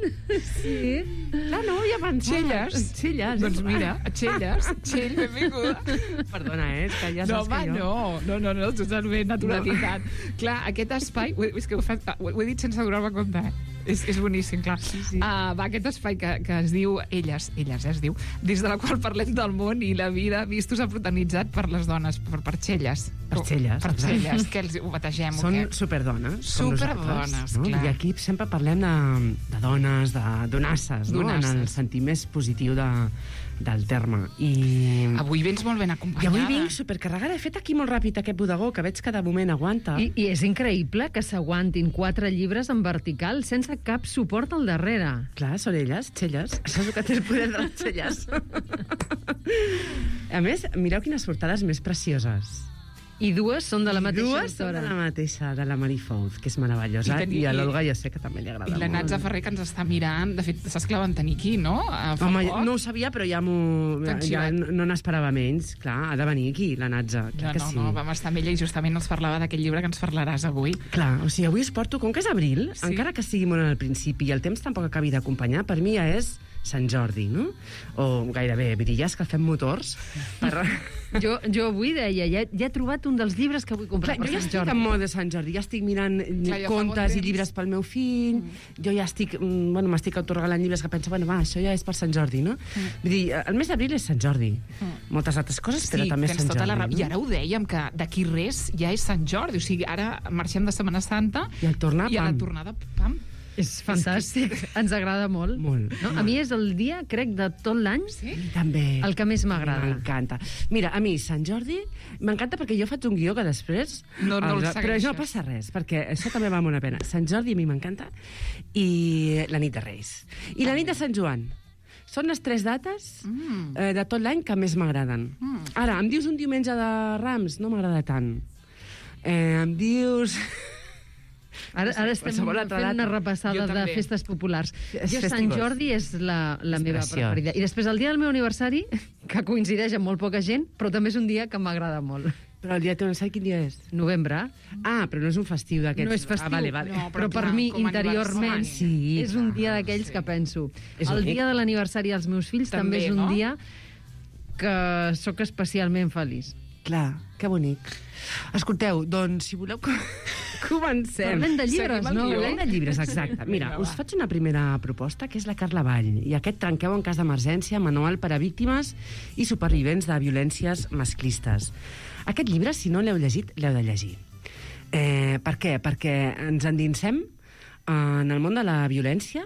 sí. Clar, no hi ha pensat. Txelles. Doncs mira, Txelles, Txell, benvinguda. Perdona, és que ja saps que jo... No, totalment naturalitat. Clar, aquest espai... És que ho he dit sense donar-me compte, És boníssim, clar. Sí. Va, aquest espai que es diu Elles, es diu, des de la qual parlem del món i la vida vistos a protagonitzat per les dones, per Txelles. Per Txelles. Per Txelles, que els ho bategem. Són superdones. Superdones, no? clar. I aquí sempre parlem de dones, de donasses, no? En el sentit més positiu del terme. I avui vens molt ben acompanyada. I avui vinc supercarregada. He fet aquí molt ràpid aquest bodegó, que veig que de moment aguanta. I és increïble que s'aguantin 4 llibres en vertical sense cap suport al darrere. Clar, són elles, Txelles. Això és el que té el poder de les Txelles. A més, mireu quines portades més precioses. I dues són de la mateixa autora. Dues són de la mateixa, de la Marie Fouz, que és meravellosa. I a l'Olga ja sé que també li agrada molt. I la Natza Ferrer, que ens està mirant. De fet, saps que la van tenir aquí, no? Home, no ho sabia, però ja no n'esperava menys. Clar, ha de venir aquí, la Natza. No, vam estar amb ella i justament els parlava d'aquest llibre que ens parlaràs avui. Clar, o sigui, avui us porto, com que és abril, encara que sigui molt al principi i el temps tampoc acabi d'acompanyar, per mi ja és Sant Jordi, no? O gairebé, brilles que fem motors. Jo avui deia, ja he trobat un dels llibres que vull comprar per Sant Jordi. Jo ja estic en mode de Sant Jordi, ja estic mirant contes i llibres pel meu fill, jo ja estic, m'estic autoregalant llibres que penso, això ja és per Sant Jordi, no? Vull dir, el mes d'abril és Sant Jordi. Moltes altres coses, però també és Sant Jordi. I ara ho dèiem, que d'aquí res ja és Sant Jordi, o sigui, ara marxem de Setmana Santa i a la tornada, pam. És fantàstic, ens agrada molt. No? A mi és el dia, crec, de tot l'any, també el que més m'agrada. M'encanta. Mira, a mi Sant Jordi m'encanta perquè jo faig un guió que després... No el segueixes. Però no passa res, perquè això també val molt la pena. Sant Jordi a mi m'encanta i la nit de Reis. I la nit de Sant Joan. Són les 3 dates de tot l'any que més m'agraden. Ara, em dius un diumenge de Rams? No m'agrada tant. Em dius... Ara estem fent una repassada de festes populars. Sant Jordi és la meva preferida. I després el dia del meu aniversari, que coincideix amb molt poca gent, però també és un dia que m'agrada molt. Però el dia del teu aniversari quin dia és? Novembre. Però no és un festiu d'aquests. No és festiu, vale. No, però per mi, interiorment, és un dia d'aquells que penso. El dia de l'aniversari dels meus fills també és un dia que sóc especialment feliç. Clar, que bonic. Escolteu, doncs, si voleu... Comencem. Parlem de llibres, no? Parlem de llibres, exacte. Mira, us faig una primera proposta, que és la Carla Vall, i aquest Trenqueu en cas d'emergència, manual per a víctimes i supervivents de violències masclistes. Aquest llibre, si no l'heu llegit, l'heu de llegir. Per què? Perquè ens endinsem en el món de la violència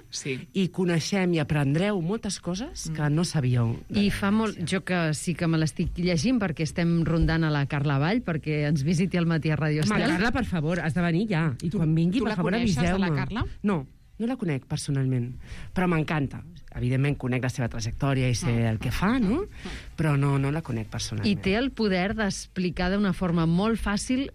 i coneixem i aprendreu moltes coses que no sabíeu. I fa molt... Jo que sí que me l'estic llegint perquè estem rondant a la Carla Vall perquè ens visiti al matí a Radio Estel. Carla, per favor, has de venir ja. I quan vingui, per favor, aviseu-me. Tu la coneixes, la Carla? No la conec personalment, però m'encanta. Evidentment conec la seva trajectòria i sé el que fa, no? Però no la conec personalment. I té el poder d'explicar d'una forma molt fàcil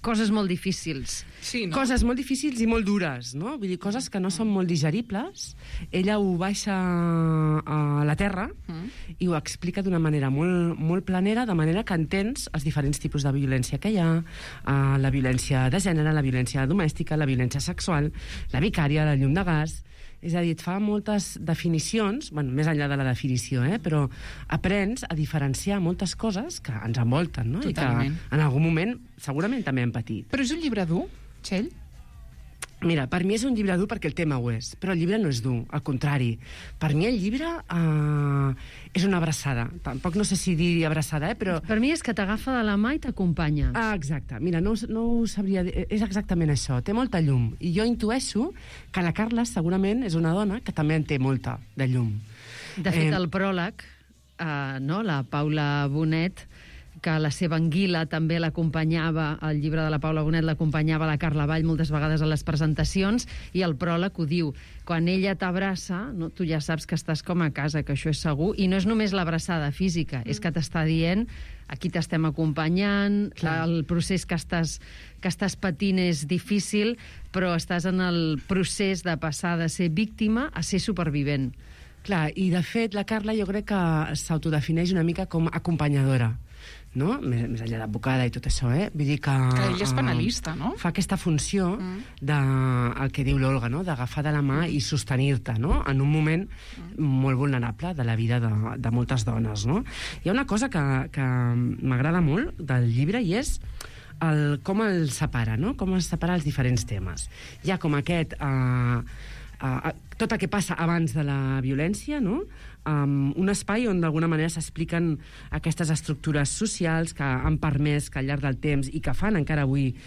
coses molt difícils. Sí, no? Coses molt difícils i molt dures, no? Vull dir, coses que no són molt digeribles. Ella ho baixa a la terra i ho explica d'una manera molt, molt planera, de manera que entens els diferents tipus de violència que hi ha, la violència de gènere, la violència domèstica, la violència sexual, la vicària, la llum de gas... És a dir, et fa moltes definicions, més enllà de la definició, però aprens a diferenciar moltes coses que ens envolten, no? Totalment. I que en algun moment segurament també hem patit. Però és un llibre dur, Txell? Mira, per mi és un llibre dur perquè el tema ho és, però el llibre no és dur, al contrari. Per mi el llibre és una abraçada. Tampoc no sé si dir abraçada, però... Per mi és que t'agafa de la mà i t'acompanya. Exacte. Mira, no ho sabria dir. És exactament això. Té molta llum. I jo intueixo que la Carla segurament és una dona que també en té molta, de llum. De fet, el pròleg, la Paula Bonet, que la seva anguila també l'acompanyava, el llibre de la Paula Bonet l'acompanyava la Carla Vall moltes vegades a les presentacions, i el pròleg ho diu. Quan ella t'abraça, no, tu ja saps que estàs com a casa, que això és segur, i no és només l'abraçada física, és que t'està dient aquí t'estem acompanyant, el procés que estàs patint és difícil, però estàs en el procés de passar de ser víctima a ser supervivent. Clar, i de fet la Carla jo crec que s'autodefineix una mica com acompanyadora, no? Més enllà d'advocada i tot això, Vull dir que ella és penalista, no? Fa aquesta funció el que diu l'Olga, no? D'agafar de la mà i sostenir-te, no? En un moment molt vulnerable de la vida de moltes dones, no? Hi ha una cosa que m'agrada molt del llibre i és com el separa, no? Com es separa els diferents temes. Hi ha com aquest tot el que passa abans de la violència, no? Un espai on d'alguna manera s'expliquen aquestes estructures socials que han permès que al llarg del temps i que fan encara avui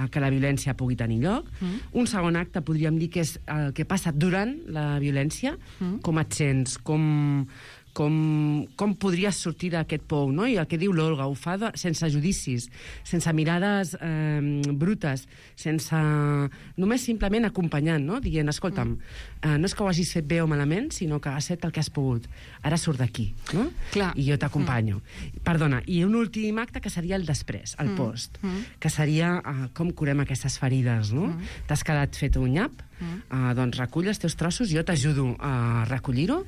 que la violència pugui tenir lloc. Un segon acte podríem dir que és el que passa durant la violència, com et sents, com podries sortir d'aquest pou, no? I el que diu l'Olga, ho fa sense judicis, sense mirades brutes, només simplement acompanyant, no? Dient, escolta'm, no és que ho hagis fet bé o malament, sinó que has fet el que has pogut. Ara surt d'aquí, no? Clar. I jo t'acompanyo. Perdona, i un últim acte que seria el després, el post, que seria com curem aquestes ferides, no? T'has quedat fet un nyap, doncs recull els teus trossos, jo t'ajudo a recollir-ho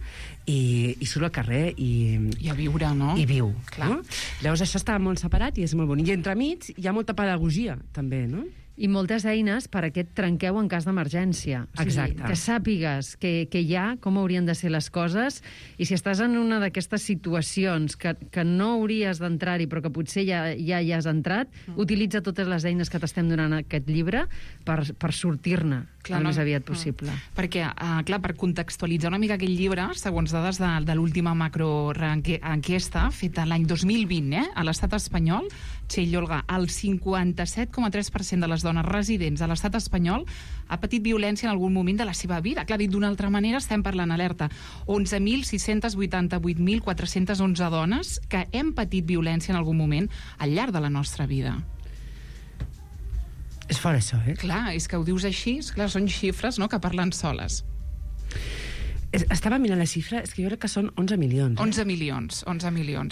i surt al carrer i a viure, no? I viu. Clar. No? Llavors això està molt separat i és molt bonic. I entremig hi ha molta pedagogia, també, no? I moltes eines per a aquest trenqueu en cas d'emergència. Exacte. Que sàpigues que hi ha, com haurien de ser les coses, i si estàs en una d'aquestes situacions que no hauries d'entrar-hi, però que potser ja hi has entrat, utilitza totes les eines que t'estem donant aquest llibre per sortir-ne el més aviat possible. Perquè, clar, per contextualitzar una mica aquest llibre, segons dades de l'última macroenquesta feta l'any 2020, a l'estat espanyol, Txell i Olga, el 57,3% de les dones residents a l'estat espanyol ha patit violència en algun moment de la seva vida. Clar, dit d'una altra manera, estem parlant, alerta, 11.688.411 dones que hem patit violència en algun moment al llarg de la nostra vida. És fort, això, Clar, és que ho dius així, clar, són xifres, no?, que parlen soles. Estava mirant la xifra, és que jo crec que són 11 milions. 11 milions,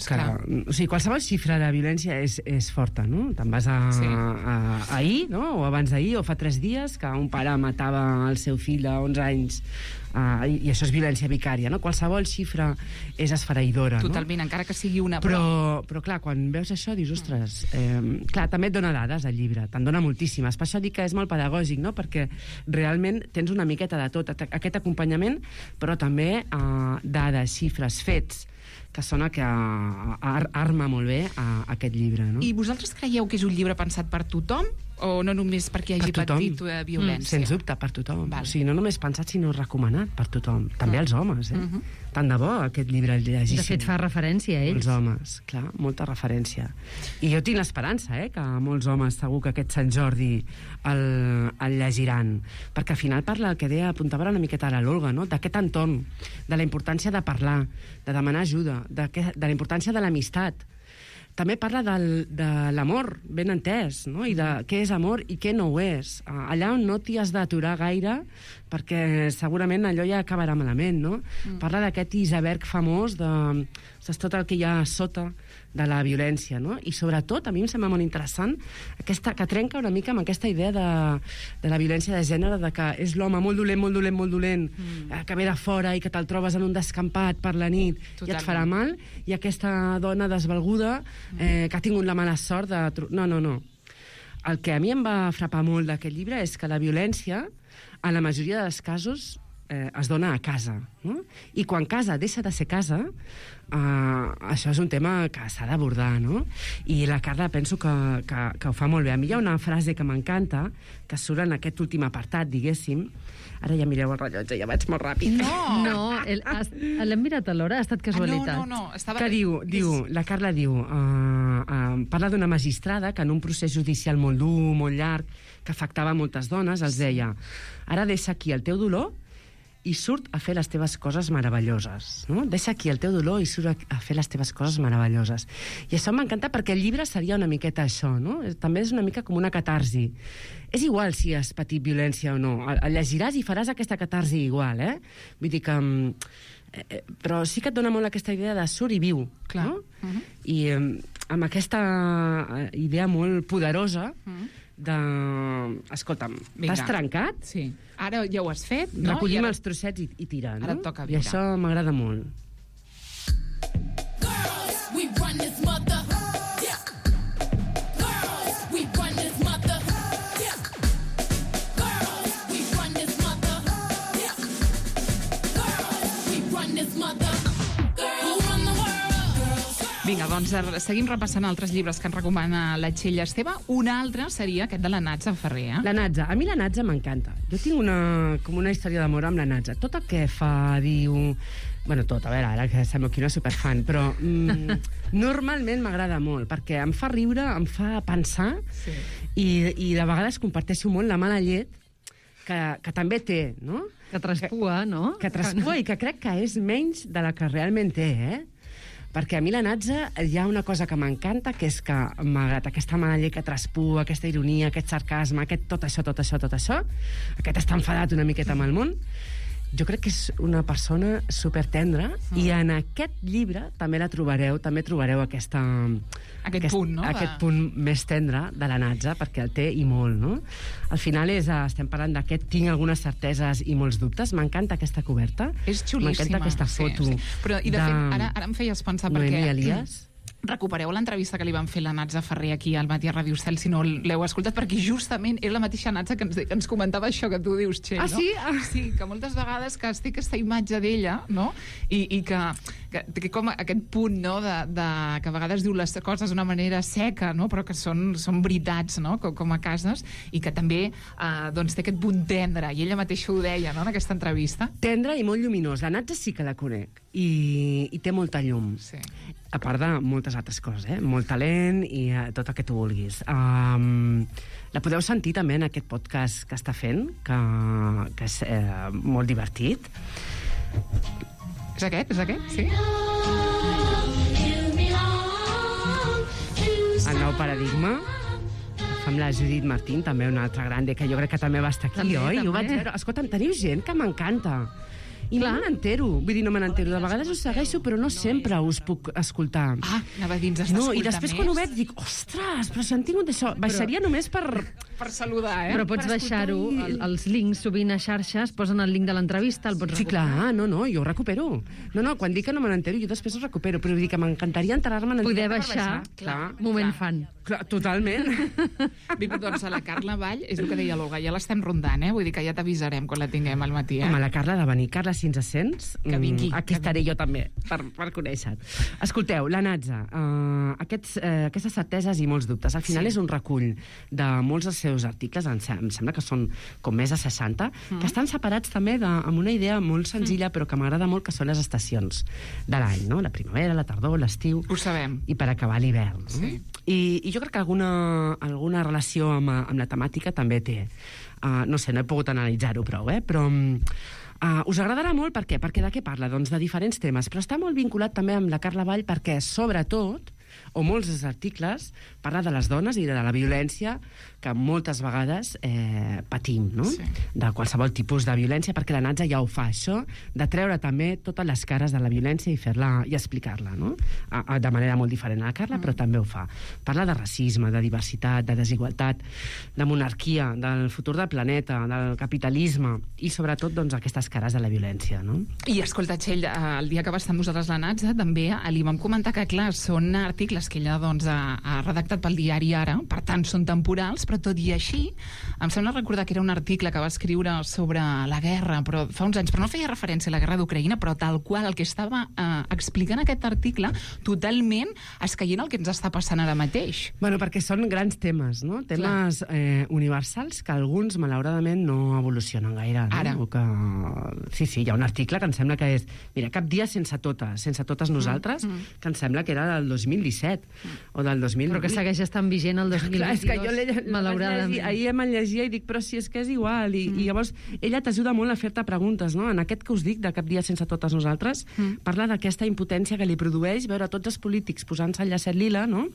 clar. O sigui, qualsevol xifra de violència és forta, no? Te'n vas ahir, no? O abans d'ahir, o fa 3 dies, que un pare matava el seu fill de 11 anys, i això és violència vicària, no? Qualsevol xifra és esfereïdora, Totalment, encara que sigui una... Però clar, quan veus això, dius, ostres... Clar, també et dona dades, el llibre, te'n dona moltíssimes. Per això dic que és molt pedagògic, no? Perquè realment tens una miqueta de tot, aquest acompanyament, però també dades, xifres, fets, que són el que arma molt bé aquest llibre, no? I vosaltres creieu que és un llibre pensat per tothom? O no només perquè hagi patit violència? Sens dubte, per tothom. O sigui, no només pensat, sinó recomanat per tothom. També els homes, Tant de bo aquest llibre el llegissin. De fet, fa referència a ells. Els homes, clar, molta referència. I jo tinc l'esperança, que molts homes, segur que aquest Sant Jordi el llegiran. Perquè al final parla, el que deia, apuntava una miqueta a l'Olga, no? D'aquest entorn, de la importància de parlar, de demanar ajuda, de la importància de l'amistat. També parla de l'amor, ben entès, no? I de què és amor i què no ho és. Allà on no t'hi has d'aturar gaire, perquè segurament allò ja acabarà malament, no? Parla d'aquest iceberg famós de tot el que hi ha sota de la violència, no? I sobretot, a mi em sembla molt interessant, que trenca una mica amb aquesta idea de la violència de gènere, de que és l'home molt dolent, que ve de fora i que te'l trobes en un descampat per la nit i et farà mal, i aquesta dona desvalguda que ha tingut la mala sort de... No. El que a mi em va frapar molt d'aquest llibre és que la violència, en la majoria dels casos, es dona a casa, no? I quan casa deixa de ser casa, això és un tema que s'ha d'abordar, no? I la Carla penso que ho fa molt bé. A mi hi ha una frase que m'encanta, que surt en aquest últim apartat, diguéssim. Ara ja mireu el rellotge, ja vaig molt ràpid. No, l'hem mirat a l'hora, ha estat casualitat. No. Que la Carla diu, parla d'una magistrada que en un procés judicial molt dur, molt llarg, que afectava moltes dones, els deia, ara deixa aquí el teu dolor i surt a fer les teves coses meravelloses. No? Deixa aquí el teu dolor i surt a fer les teves coses meravelloses. I això m'encanta perquè el llibre seria una miqueta això, no? També és una mica com una catarsi. És igual si has patit violència o no. El llegiràs i faràs aquesta catarsi igual, eh? Vull dir que... però sí que et dona molt aquesta idea de surt i viu. Clar. No? I amb aquesta idea molt poderosa de... Escolta'm, t'has trencat? Sí. Ara ja ho has fet, no? Recollim els trossets i tira, no? Ara et toca I viure. això m'agrada molt. Girls, we run this mother. Yeah. Girls, we run this mother. Yeah. Girls, we run this mother. Yeah. Girls, we run this mother. Girls, run the world. Vinga, doncs seguim repassant altres llibres que ens recomana la Txell Esteve. Un altre seria aquest de la Natza Ferrer. La Natza. A mi la Natza m'encanta. Jo tinc com una història d'amor amb la Natza. Tot el que fa, diu... Bueno, tot, a veure, ara que sembla aquí una superfan, però normalment m'agrada molt, perquè em fa riure, em fa pensar, sí. i de vegades comparteixo molt la mala llet que també té, no? Que traspua, no? Que traspua i que crec que és menys de la que realment té, eh? Perquè a mi la Natza hi ha una cosa que m'encanta, que és que malgrat aquesta mala llet que traspua, aquesta ironia, aquest sarcasme, tot això, aquest estar enfadat una miqueta amb el món, jo crec que és una persona supertendra i en aquest llibre també trobareu aquest punt, no? Aquest punt més tendre de la Natza, perquè el té i molt, no? Al final estem parlant d'aquest tinc algunes certeses i molts dubtes. M'encanta aquesta coberta. És xulíssima. M'encanta aquesta foto. Sí. Però, i de fet, ara em feies pensar Noemi perquè... Elias. Recupereu l'entrevista que li van fer la Natza Ferrer aquí al Matí a Ràdio Estel, si no l'heu escoltat, perquè justament és la mateixa Natza que ens comentava això que tu dius, Txell, no? Sí? Sí, que moltes vegades que es té aquesta imatge d'ella, no? I que com aquest punt, no?, que a vegades diu les coses d'una manera seca, no?, però que són veritats, no?, com a cases, i que també doncs té aquest punt tendre, i ella mateixa ho deia, no?, en aquesta entrevista. Tendre i molt lluminós. La Natza sí que la conec, i té molta llum. Sí. A part de moltes altres coses, molt talent i tot el que tu vulguis. La podeu sentir també en aquest podcast que està fent, que és molt divertit. És aquest? Sí? El nou paradigma, amb la Judit Martín, també una altra grande, que jo crec que també va estar aquí, oi? Ho vaig veure. Escolta'm, teniu gent que m'encanta. I no me n'entero, vull dir, no me n'entero. De vegades us segueixo, però no sempre us puc escoltar. Ah, anava a dir, ens has d'escoltar més. I després quan ho veig dic, ostres, però si han tingut això, baixaria només per saludar, Però pots baixar-ho, els links sovint a xarxes, posen el link de l'entrevista, el pots recuperar. Sí, clar, no, jo ho recupero. No, quan dic que no me n'entero, jo després ho recupero, però vull dir que m'encantaria enterar-me... Poder baixar, moment fan. Clar, totalment. Doncs a la Carla Vall, és el que deia l'Olga, ja l'estem rondant, vull dir que ja t'avisarem quan la tinguem al matí. Home, la Carla ha de venir. Carla, si ens sents, que vingui. Aquí estaré jo també, per conèixer-te. Escolteu, la Natza, aquestes certeses i molts dubtes. Al final és un recull de molts dels seus articles, em sembla que són com més de 60, que estan separats també amb una idea molt senzilla, però que m'agrada molt, que són les estacions de l'any, no? La primavera, la tardor, l'estiu... Ho sabem. I per acabar l'hivern. Sí. I jo crec que alguna relació amb la temàtica també té. No sé, no he pogut analitzar-ho prou, però... us agradarà molt, per què? Perquè de què parla? Doncs de diferents temes, però està molt vinculat també amb la Carla Vall perquè, sobretot, o molts dels articles, parla de les dones i de la violència que moltes vegades patim, no? Sí. De qualsevol tipus de violència, perquè la Natza ja ho fa, això, de treure també totes les cares de la violència i fer-la i explicar-la, no? De manera molt diferent a la Carla, però també ho fa. Parla de racisme, de diversitat, de desigualtat, de monarquia, del futur del planeta, del capitalisme i, sobretot, doncs, aquestes cares de la violència, no? I, escolta, Txell, el dia que va estar amb nosaltres la Natza, també li vam comentar que, clar, són articles que ella doncs, ha redactat pel diari Ara, per tant, són temporals, però tot i així, em sembla recordar que era un article que va escriure sobre la guerra, però fa uns anys, però no feia referència a la guerra d'Ucraïna, però tal qual el que estava explicant aquest article, totalment escaient el que ens està passant ara mateix. Bueno, perquè són grans temes, no? Temes universals que alguns, malauradament, no evolucionen gaire. No? Ara. Sí, hi ha un article que em sembla que és... Mira, cap dia sense totes nosaltres, que em sembla que era del 2017, 2017 o del 2018. Però que segueix estant vigent el 2022, clar, és que jo malauradament. ahir me'l llegia i dic, però si és que és igual. I llavors ella t'ajuda molt a fer-te preguntes, no? En aquest que us dic, de Cap dia sense totes nosaltres, parla d'aquesta impotència que li produeix veure tots els polítics posant-se el llacet lila, no?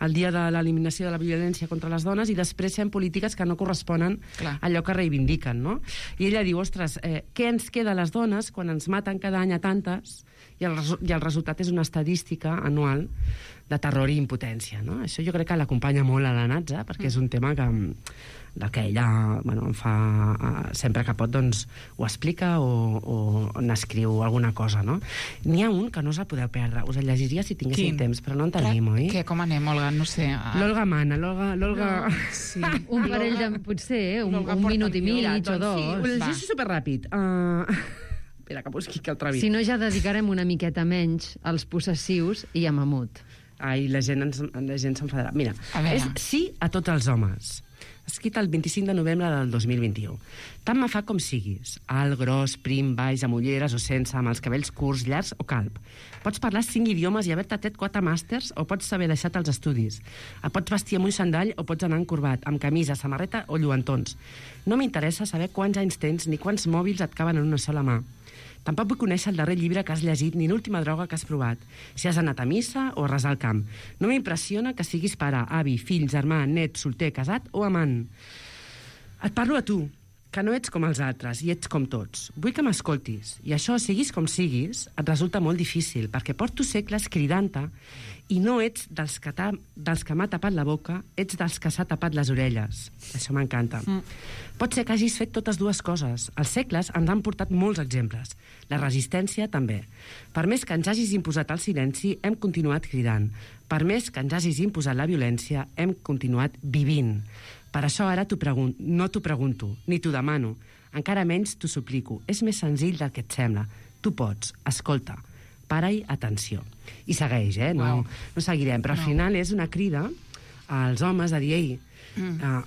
El dia de l'eliminació de la violència contra les dones, i després fent polítiques que no corresponen a allò que reivindiquen, no? I ella diu, ostres, què ens queda a les dones quan ens maten cada any a tantes i el resultat és una estadística anual de terror i impotència, no? Això jo crec que l'acompanya molt a la Natza, perquè és un tema del que ella em fa... sempre que pot, doncs, ho explica o n'escriu alguna cosa, no? N'hi ha un que no us el podeu perdre. Us el llegiria si tinguéssim temps, però no en tenim, oi? Què, com anem, Olga? No sé. L'Olga mana, l'Olga... Sí. Un parell de... potser, un minut i mig o dos. Sí, ho llegeixo superràpid. Espera, que busqui que el trobi. Si no, ja dedicarem una miqueta menys als possessius i a Mamut. Ai, la gent s'enfadarà. Mira, és sí a tots els homes. Escrit el 25 de novembre del 2021. Tant me fa com siguis. Alt, gros, prim, baix, amb ulleres o sense, amb els cabells curts, llargs o calb. Pots parlar 5 idiomes i haver-te tret 4 màsters o pots saber deixat els estudis. Et pots vestir amb un xandall o pots anar encorbat, amb camisa, samarreta o lluentons. No m'interessa saber quants anys tens ni quants mòbils et caben en una sola mà. Tampoc vull conèixer el darrer llibre que has llegit ni l'última droga que has provat, si has anat a missa o a resar al camp. No m'impressiona que siguis pare, avi, fill, germà, net, solter, casat o amant. Et parlo a tu, que no ets com els altres i ets com tots. Vull que m'escoltis, i això, siguis com siguis, et resulta molt difícil, perquè porto segles cridant-te i no ets dels que m'ha tapat la boca, ets dels que s'ha tapat les orelles. Això m'encanta. Pot ser que hagis fet totes dues coses. Els segles ens han portat molts exemples. La resistència, també. Per més que ens hagis imposat el silenci, hem continuat cridant. Per més que ens hagis imposat la violència, hem continuat vivint. Per això ara no t'ho pregunto, ni t'ho demano. Encara menys t'ho suplico. És més senzill del que et sembla. Tu pots. Escolta. Para-hi atenció. I segueix, no seguirem, però al final és una crida als homes a dir, ei,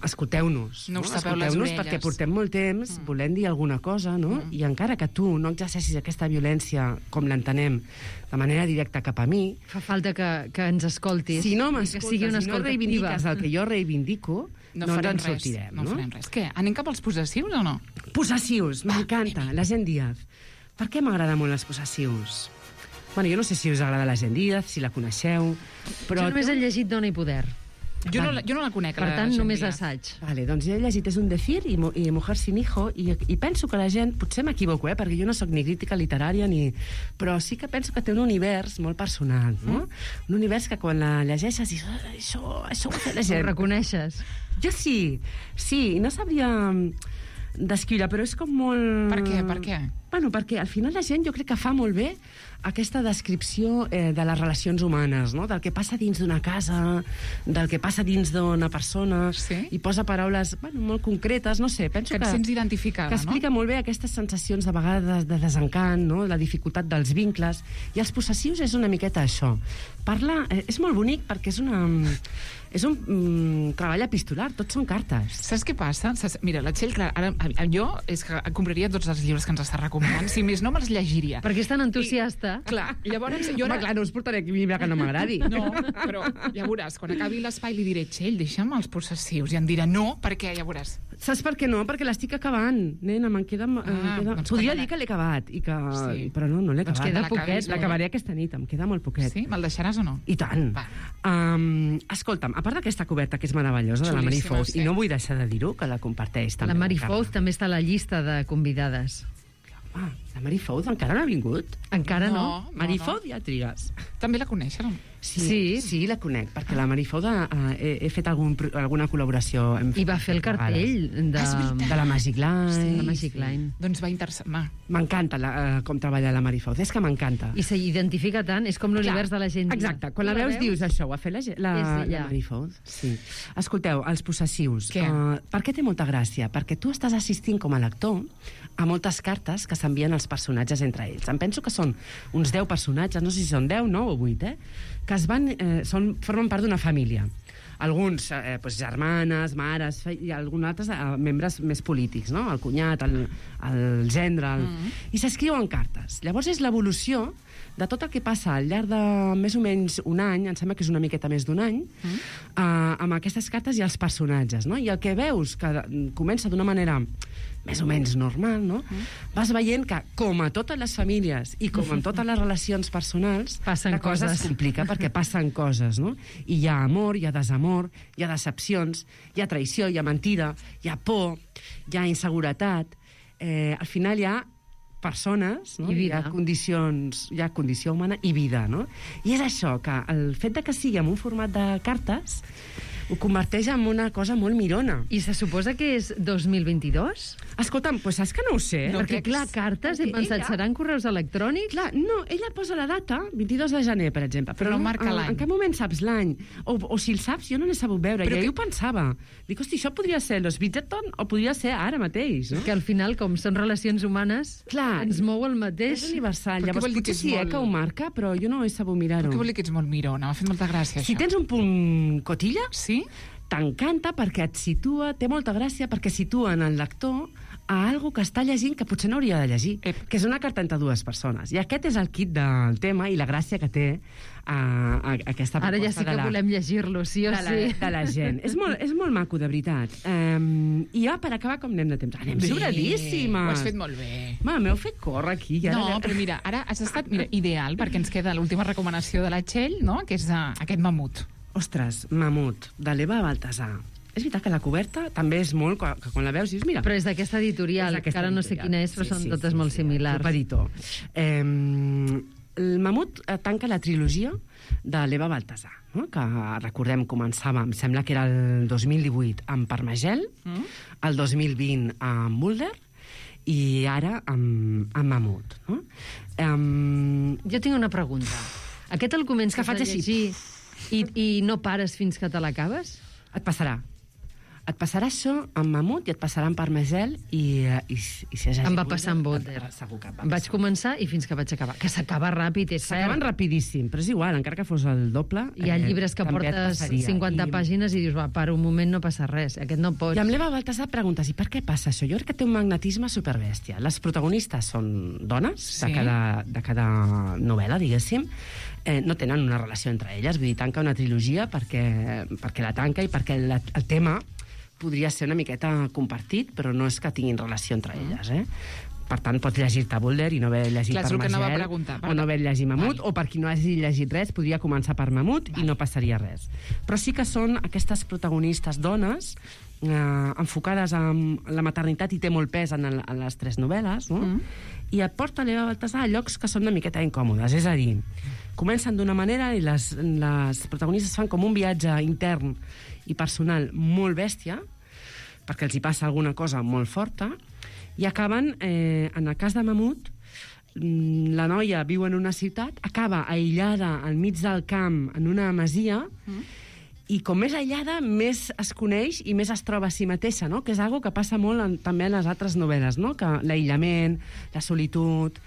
escolteu-nos. No us tapeu les orelles. Perquè portem molt temps volent dir alguna cosa, no? I encara que tu no exerceixis aquesta violència com l'entenem de manera directa cap a mi... Fa falta que ens escoltis. Si no m'escoltes, si no reivindiques el que jo reivindico, no ens en sortirem. No farem res. Què, anem cap als possessius o no? Possessius, m'encanta. La Gent Díaz. Per què m'agrada molt els possessius? Bueno, jo no sé si us agrada la Gent Díaz, si la coneixeu, però... Jo només he llegit Dona i Poder. Jo no la conec, per tant, només l'assaig. Vale, doncs jo he llegit És un decir i Mujer sin hijo, i penso que la gent, potser m'equivoco, perquè jo no sóc ni crítica literària, però sí que penso que té un univers molt personal, no? Un univers que quan la llegeixes dius, això ho ha fet la gent. Ho reconeixes? Jo sí, i no sabria descriure, però és com molt... Per què? Bueno, perquè al final la gent jo crec que fa molt bé aquesta descripció de les relacions humanes, no? Del que passa dins d'una casa, del que passa dins d'una persona, i posa paraules molt concretes, no sé, penso que et sents identificada, que explica molt bé aquestes sensacions de vegades de desencant, no? La dificultat dels vincles, i els possessius és una miqueta això. Parla, és molt bonic perquè és un treball epistolar, tots són cartes. Saps què passa? Mira, la Txell, ara jo és que compraria tots els llibres que ens està recomanant, si més no me'ls llegiria. Perquè és tan entusiasta. Clar, llavors... Home, clar, no us portaré aquí un llibre que no m'agradi. No, però ja veuràs, quan acabi l'espai li diré, Txell, deixa'm els possessius, i em dirà no, perquè ja veuràs. Saps per què no? Perquè l'estic acabant, nena, me'n queda... Doncs podria dir que l'he acabat, però no l'he acabat. Doncs queda poquet. L'acabaré aquesta nit, em queda molt poquet. Sí? Me'l deixaràs o no? I tant. Escolta'm, a part d'aquesta coberta que és meravellosa, de la Mary Fouz, i no vull deixar de dir-ho, que la comparteix també. La Mary Fouz també està a la llista de convidades. La Mary Fouz encara no ha vingut? Encara no. Mary Fouz ja trigues. També la coneixes, no? Sí, la conec, perquè la Mary Fouz he fet alguna col·laboració. I va fer el cartell de la Magic Line. Sí, la Magic Line. Doncs va interessar-me. M'encanta com treballa la Mary Fouz, és que m'encanta. I s'identifica tant, és com l'univers de la gent. Exacte, quan la veus dius això, ho ha fet la Mary Fouz. Sí. Escolteu, els possessius. Per què té molta gràcia? Perquè tu estàs assistint com a lector a moltes cartes que s'envien els personatges entre ells. Em penso que són uns 10 personatges, no sé si són 10, 9 o 8, que formen part d'una família. alguns germanes, mares, i alguns altres membres més polítics, no? El cunyat, el gendre... I s'escriuen cartes. Llavors és l'evolució de tot el que passa al llarg de més o menys un any, em sembla que és una miqueta més d'un any, amb aquestes cartes i els personatges, no? I el que veus que comença d'una manera més o menys normal, no? Vas veient que, com a totes les famílies i com en totes les relacions personals, passen coses. Es complica perquè passen coses, no? I hi ha amor, hi ha desamor, hi ha decepcions, hi ha traïció, hi ha mentida, hi ha por, hi ha inseguretat. Al final hi ha persones, no? Hi ha condició humana i vida, no? I és això, que el fet de que sigui en un format de cartes ho converteix en una cosa molt mirona. I se suposa que és 2022? Escolta'm, doncs saps que no ho sé. No, perquè, clar, cartes, he pensat, seran correus electrònics? Clar, no, ella posa la data, 22 de gener, per exemple. Però no marca l'any. En cap moment saps l'any. O si el saps, jo no l'he sabut veure. I ahir ho pensava. Dic, hosti, això podria ser los Bridgerton o podria ser ara mateix, no? Que al final, com són relacions humanes, ens mou el mateix. És universal. Llavors, potser sí que ho marca, però jo no he sabut mirar-ho. Però què vol dir que ets molt mirona? M'ha fet molta gràcia, això. Si tens un punt cotilla, sí? T'encanta perquè et situa, té molta gràcia perquè situa en el lector a algo que està llegint que potser no hauria de llegir, que és una carta entre dues persones. I aquest és el kit del tema i la gràcia que té aquesta proposta. Ara ja sí que volem llegir-lo, sí o sí. De la gent. És molt maco, de veritat. I ja, per acabar, com anem de temps? Anem sobradíssimes. Ho has fet molt bé. M'heu fet córrer aquí. No, però mira, ara has estat ideal, perquè ens queda l'última recomanació de la Txell, no? Que és aquest mamut. Ostres, Mamut, de l'Eva Baltasar. És veritat que la coberta també és molt... Que quan la veus dius, mira... Però és d'aquesta editorial, que ara no sé quina és, però són totes molt similars. Superito. El Mamut tanca la trilogia de l'Eva Baltasar, no? Que, recordem, començava, em sembla que era el 2018, amb Parmagel, el 2020 amb Mulder, i ara amb Mamut, no? Jo tinc una pregunta. Aquest el comences a llegir i no pares fins que te l'acabes? Et passarà. Et passarà això amb Mamut i et passarà amb Parmagel i si has em va passar amb Mulder. Segur que vaig començar i fins que vaig acabar. Que s'acaba ràpid, és cert. S'acaben rapidíssim, però és igual, encara que fos el doble... Hi ha llibres que portes 50 pàgines i dius, va, per un moment no passa res. Aquest no pots. I amb l'Eva Baltasar preguntes, i per què passa això? Jo crec que té un magnetisme superbèstia. Les protagonistes són dones de cada novel·la, diguéssim. No tenen una relació entre elles, vull dir, tanca una trilogia perquè la tanca i perquè el tema podria ser una miqueta compartit, però no és que tinguin relació entre elles, Per tant, pots llegir-te Mulder i no haver llegit Parmagel, o no haver llegit Mamut, o per qui no hagi llegit res, podria començar per Mamut i no passaria res. Però sí que són aquestes protagonistes dones enfocades en la maternitat i té molt pes en les tres novel·les, no? I et porta l'Eva Baltasar a llocs que són una miqueta incòmodes, és a dir, comencen d'una manera i les protagonistes fan com un viatge intern i personal molt bèstia, perquè els hi passa alguna cosa molt forta, i acaben, en el cas de Mamut, la noia viu en una ciutat, acaba aïllada al mig del camp, en una masia, i com més aïllada, més es coneix i més es troba a si mateixa, no? Que és algo que passa molt també en les altres novel·les, no? Que l'aïllament, la solitud,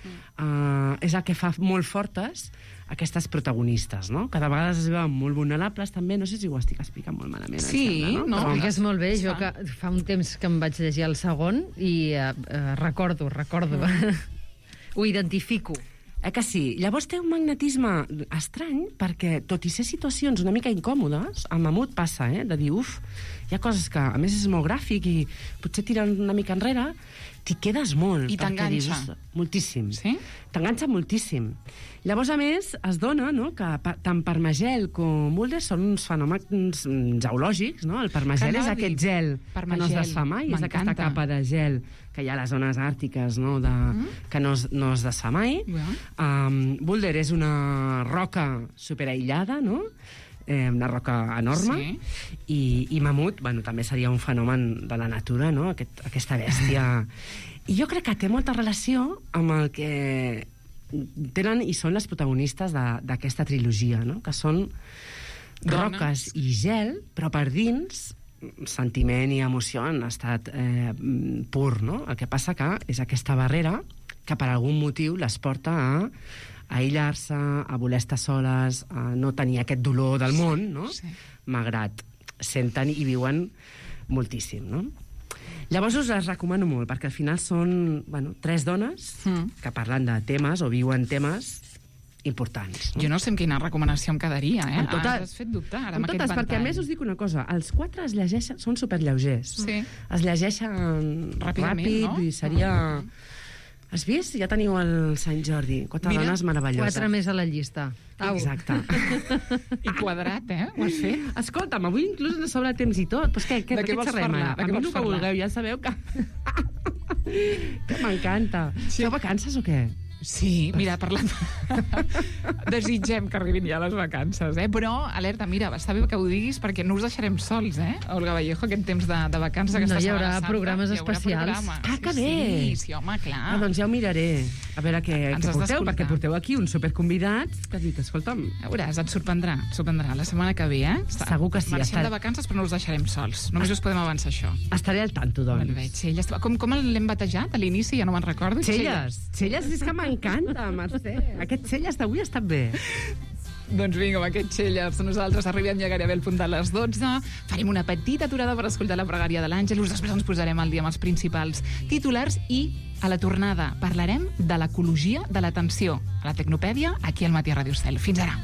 és el que fa molt fortes aquestes protagonistes, no? Que de vegades es veuen molt vulnerables, també. No sé si ho estic explicant molt malament. Sí, sembla, no? Ho expliques molt bé. Jo que fa un temps que em vaig llegir el segon i recordo. Ho identifico. Que sí. Llavors té un magnetisme estrany perquè, tot i ser situacions una mica incòmodes, el Mamut passa, de dir, hi ha coses que, a més, és molt gràfic i potser tiren una mica enrere, t'hi quedes molt. I t'enganxa. Moltíssim. Sí? T'enganxa moltíssim. Llavors, a més, es dona, no?, que tant Parmagel com Mulder són uns fenòmens geològics, no? El Parmagel és aquest gel que no es desfà mai, és aquesta capa de gel que hi ha a les zones àrtiques, no?, que no es desfà mai. Mulder és una roca superaïllada, no?, una roca enorme, i Mamut, bueno, també seria un fenomen de la natura, no?, aquesta bèstia. I jo crec que té molta relació amb el que tenen i són les protagonistes d'aquesta trilogia, no?, que són roques i gel, però per dins sentiment i emoció en estat pur, no? El que passa que és aquesta barrera que per algun motiu les porta a aïllar-se, a voler estar soles, a no tenir aquest dolor del món, no? Malgrat senten i viuen moltíssim, no? Llavors us les recomano molt, perquè al final són 3 dones que parlen de temes o viuen temes importants. No? Jo no sé amb quina recomanació em quedaria, eh? Amb totes, has fet dubtar, ara, amb amb totes, aquest perquè a ventall. més us dic una cosa, els 4 es llegeixen, són superlleugers. Sí. Es llegeixen Ràpidament, ràpid, no? i seria... Has vist? Ja teniu el Sant Jordi. 4 dones meravelloses. 4 més a la llista. Au. Exacte. I quadrat, eh? Ho has fet? Escolta'm, avui inclús ens sobra temps i tot. Pues què De què vols xerrem parlar? ara? De A què mi vols el que parlar? vulgueu, ja sabeu que... que m'encanta. Feu vacances o què? Sí, mira, parlant... Desitgem que arribin ja les vacances, eh? Però, alerta, mira, està bé que ho diguis perquè no us deixarem sols, eh? Olga Vallejo, aquest temps de vacances, aquesta No, hi haurà Setmana Santa, programes hi haurà especials. programes. Ah, que bé! Sí, home, clar. Ah, doncs ja ho miraré. A veure què Ens has porteu, d'escoltar. perquè porteu aquí uns superconvidats que dic, escolta'm... Ja veuràs, et sorprendrà la setmana que ve, eh? Segur que sí, Marxem estaré- de vacances, però no us deixarem sols. Només us podem avançar això. Estaré al tanto, doncs. Molt bé, Txelles. Com l'hem batejat a l'inici? Ja no me'n recordo. Txelles és que m'encanta, Mercè. Aquest Txelles d'avui ha estat bé. Doncs vinga, amb aquest Txelles. Nosaltres arribem ja gairebé al punt de les 12. Farem una petita aturada per escoltar la pregària de l'Àngelus. Després ens posarem al dia amb els principals titulars i a la tornada parlarem de l'ecologia de l'atenció. A la Tecnopèdia, aquí al Matí a Ràdio Estel. Fins ara.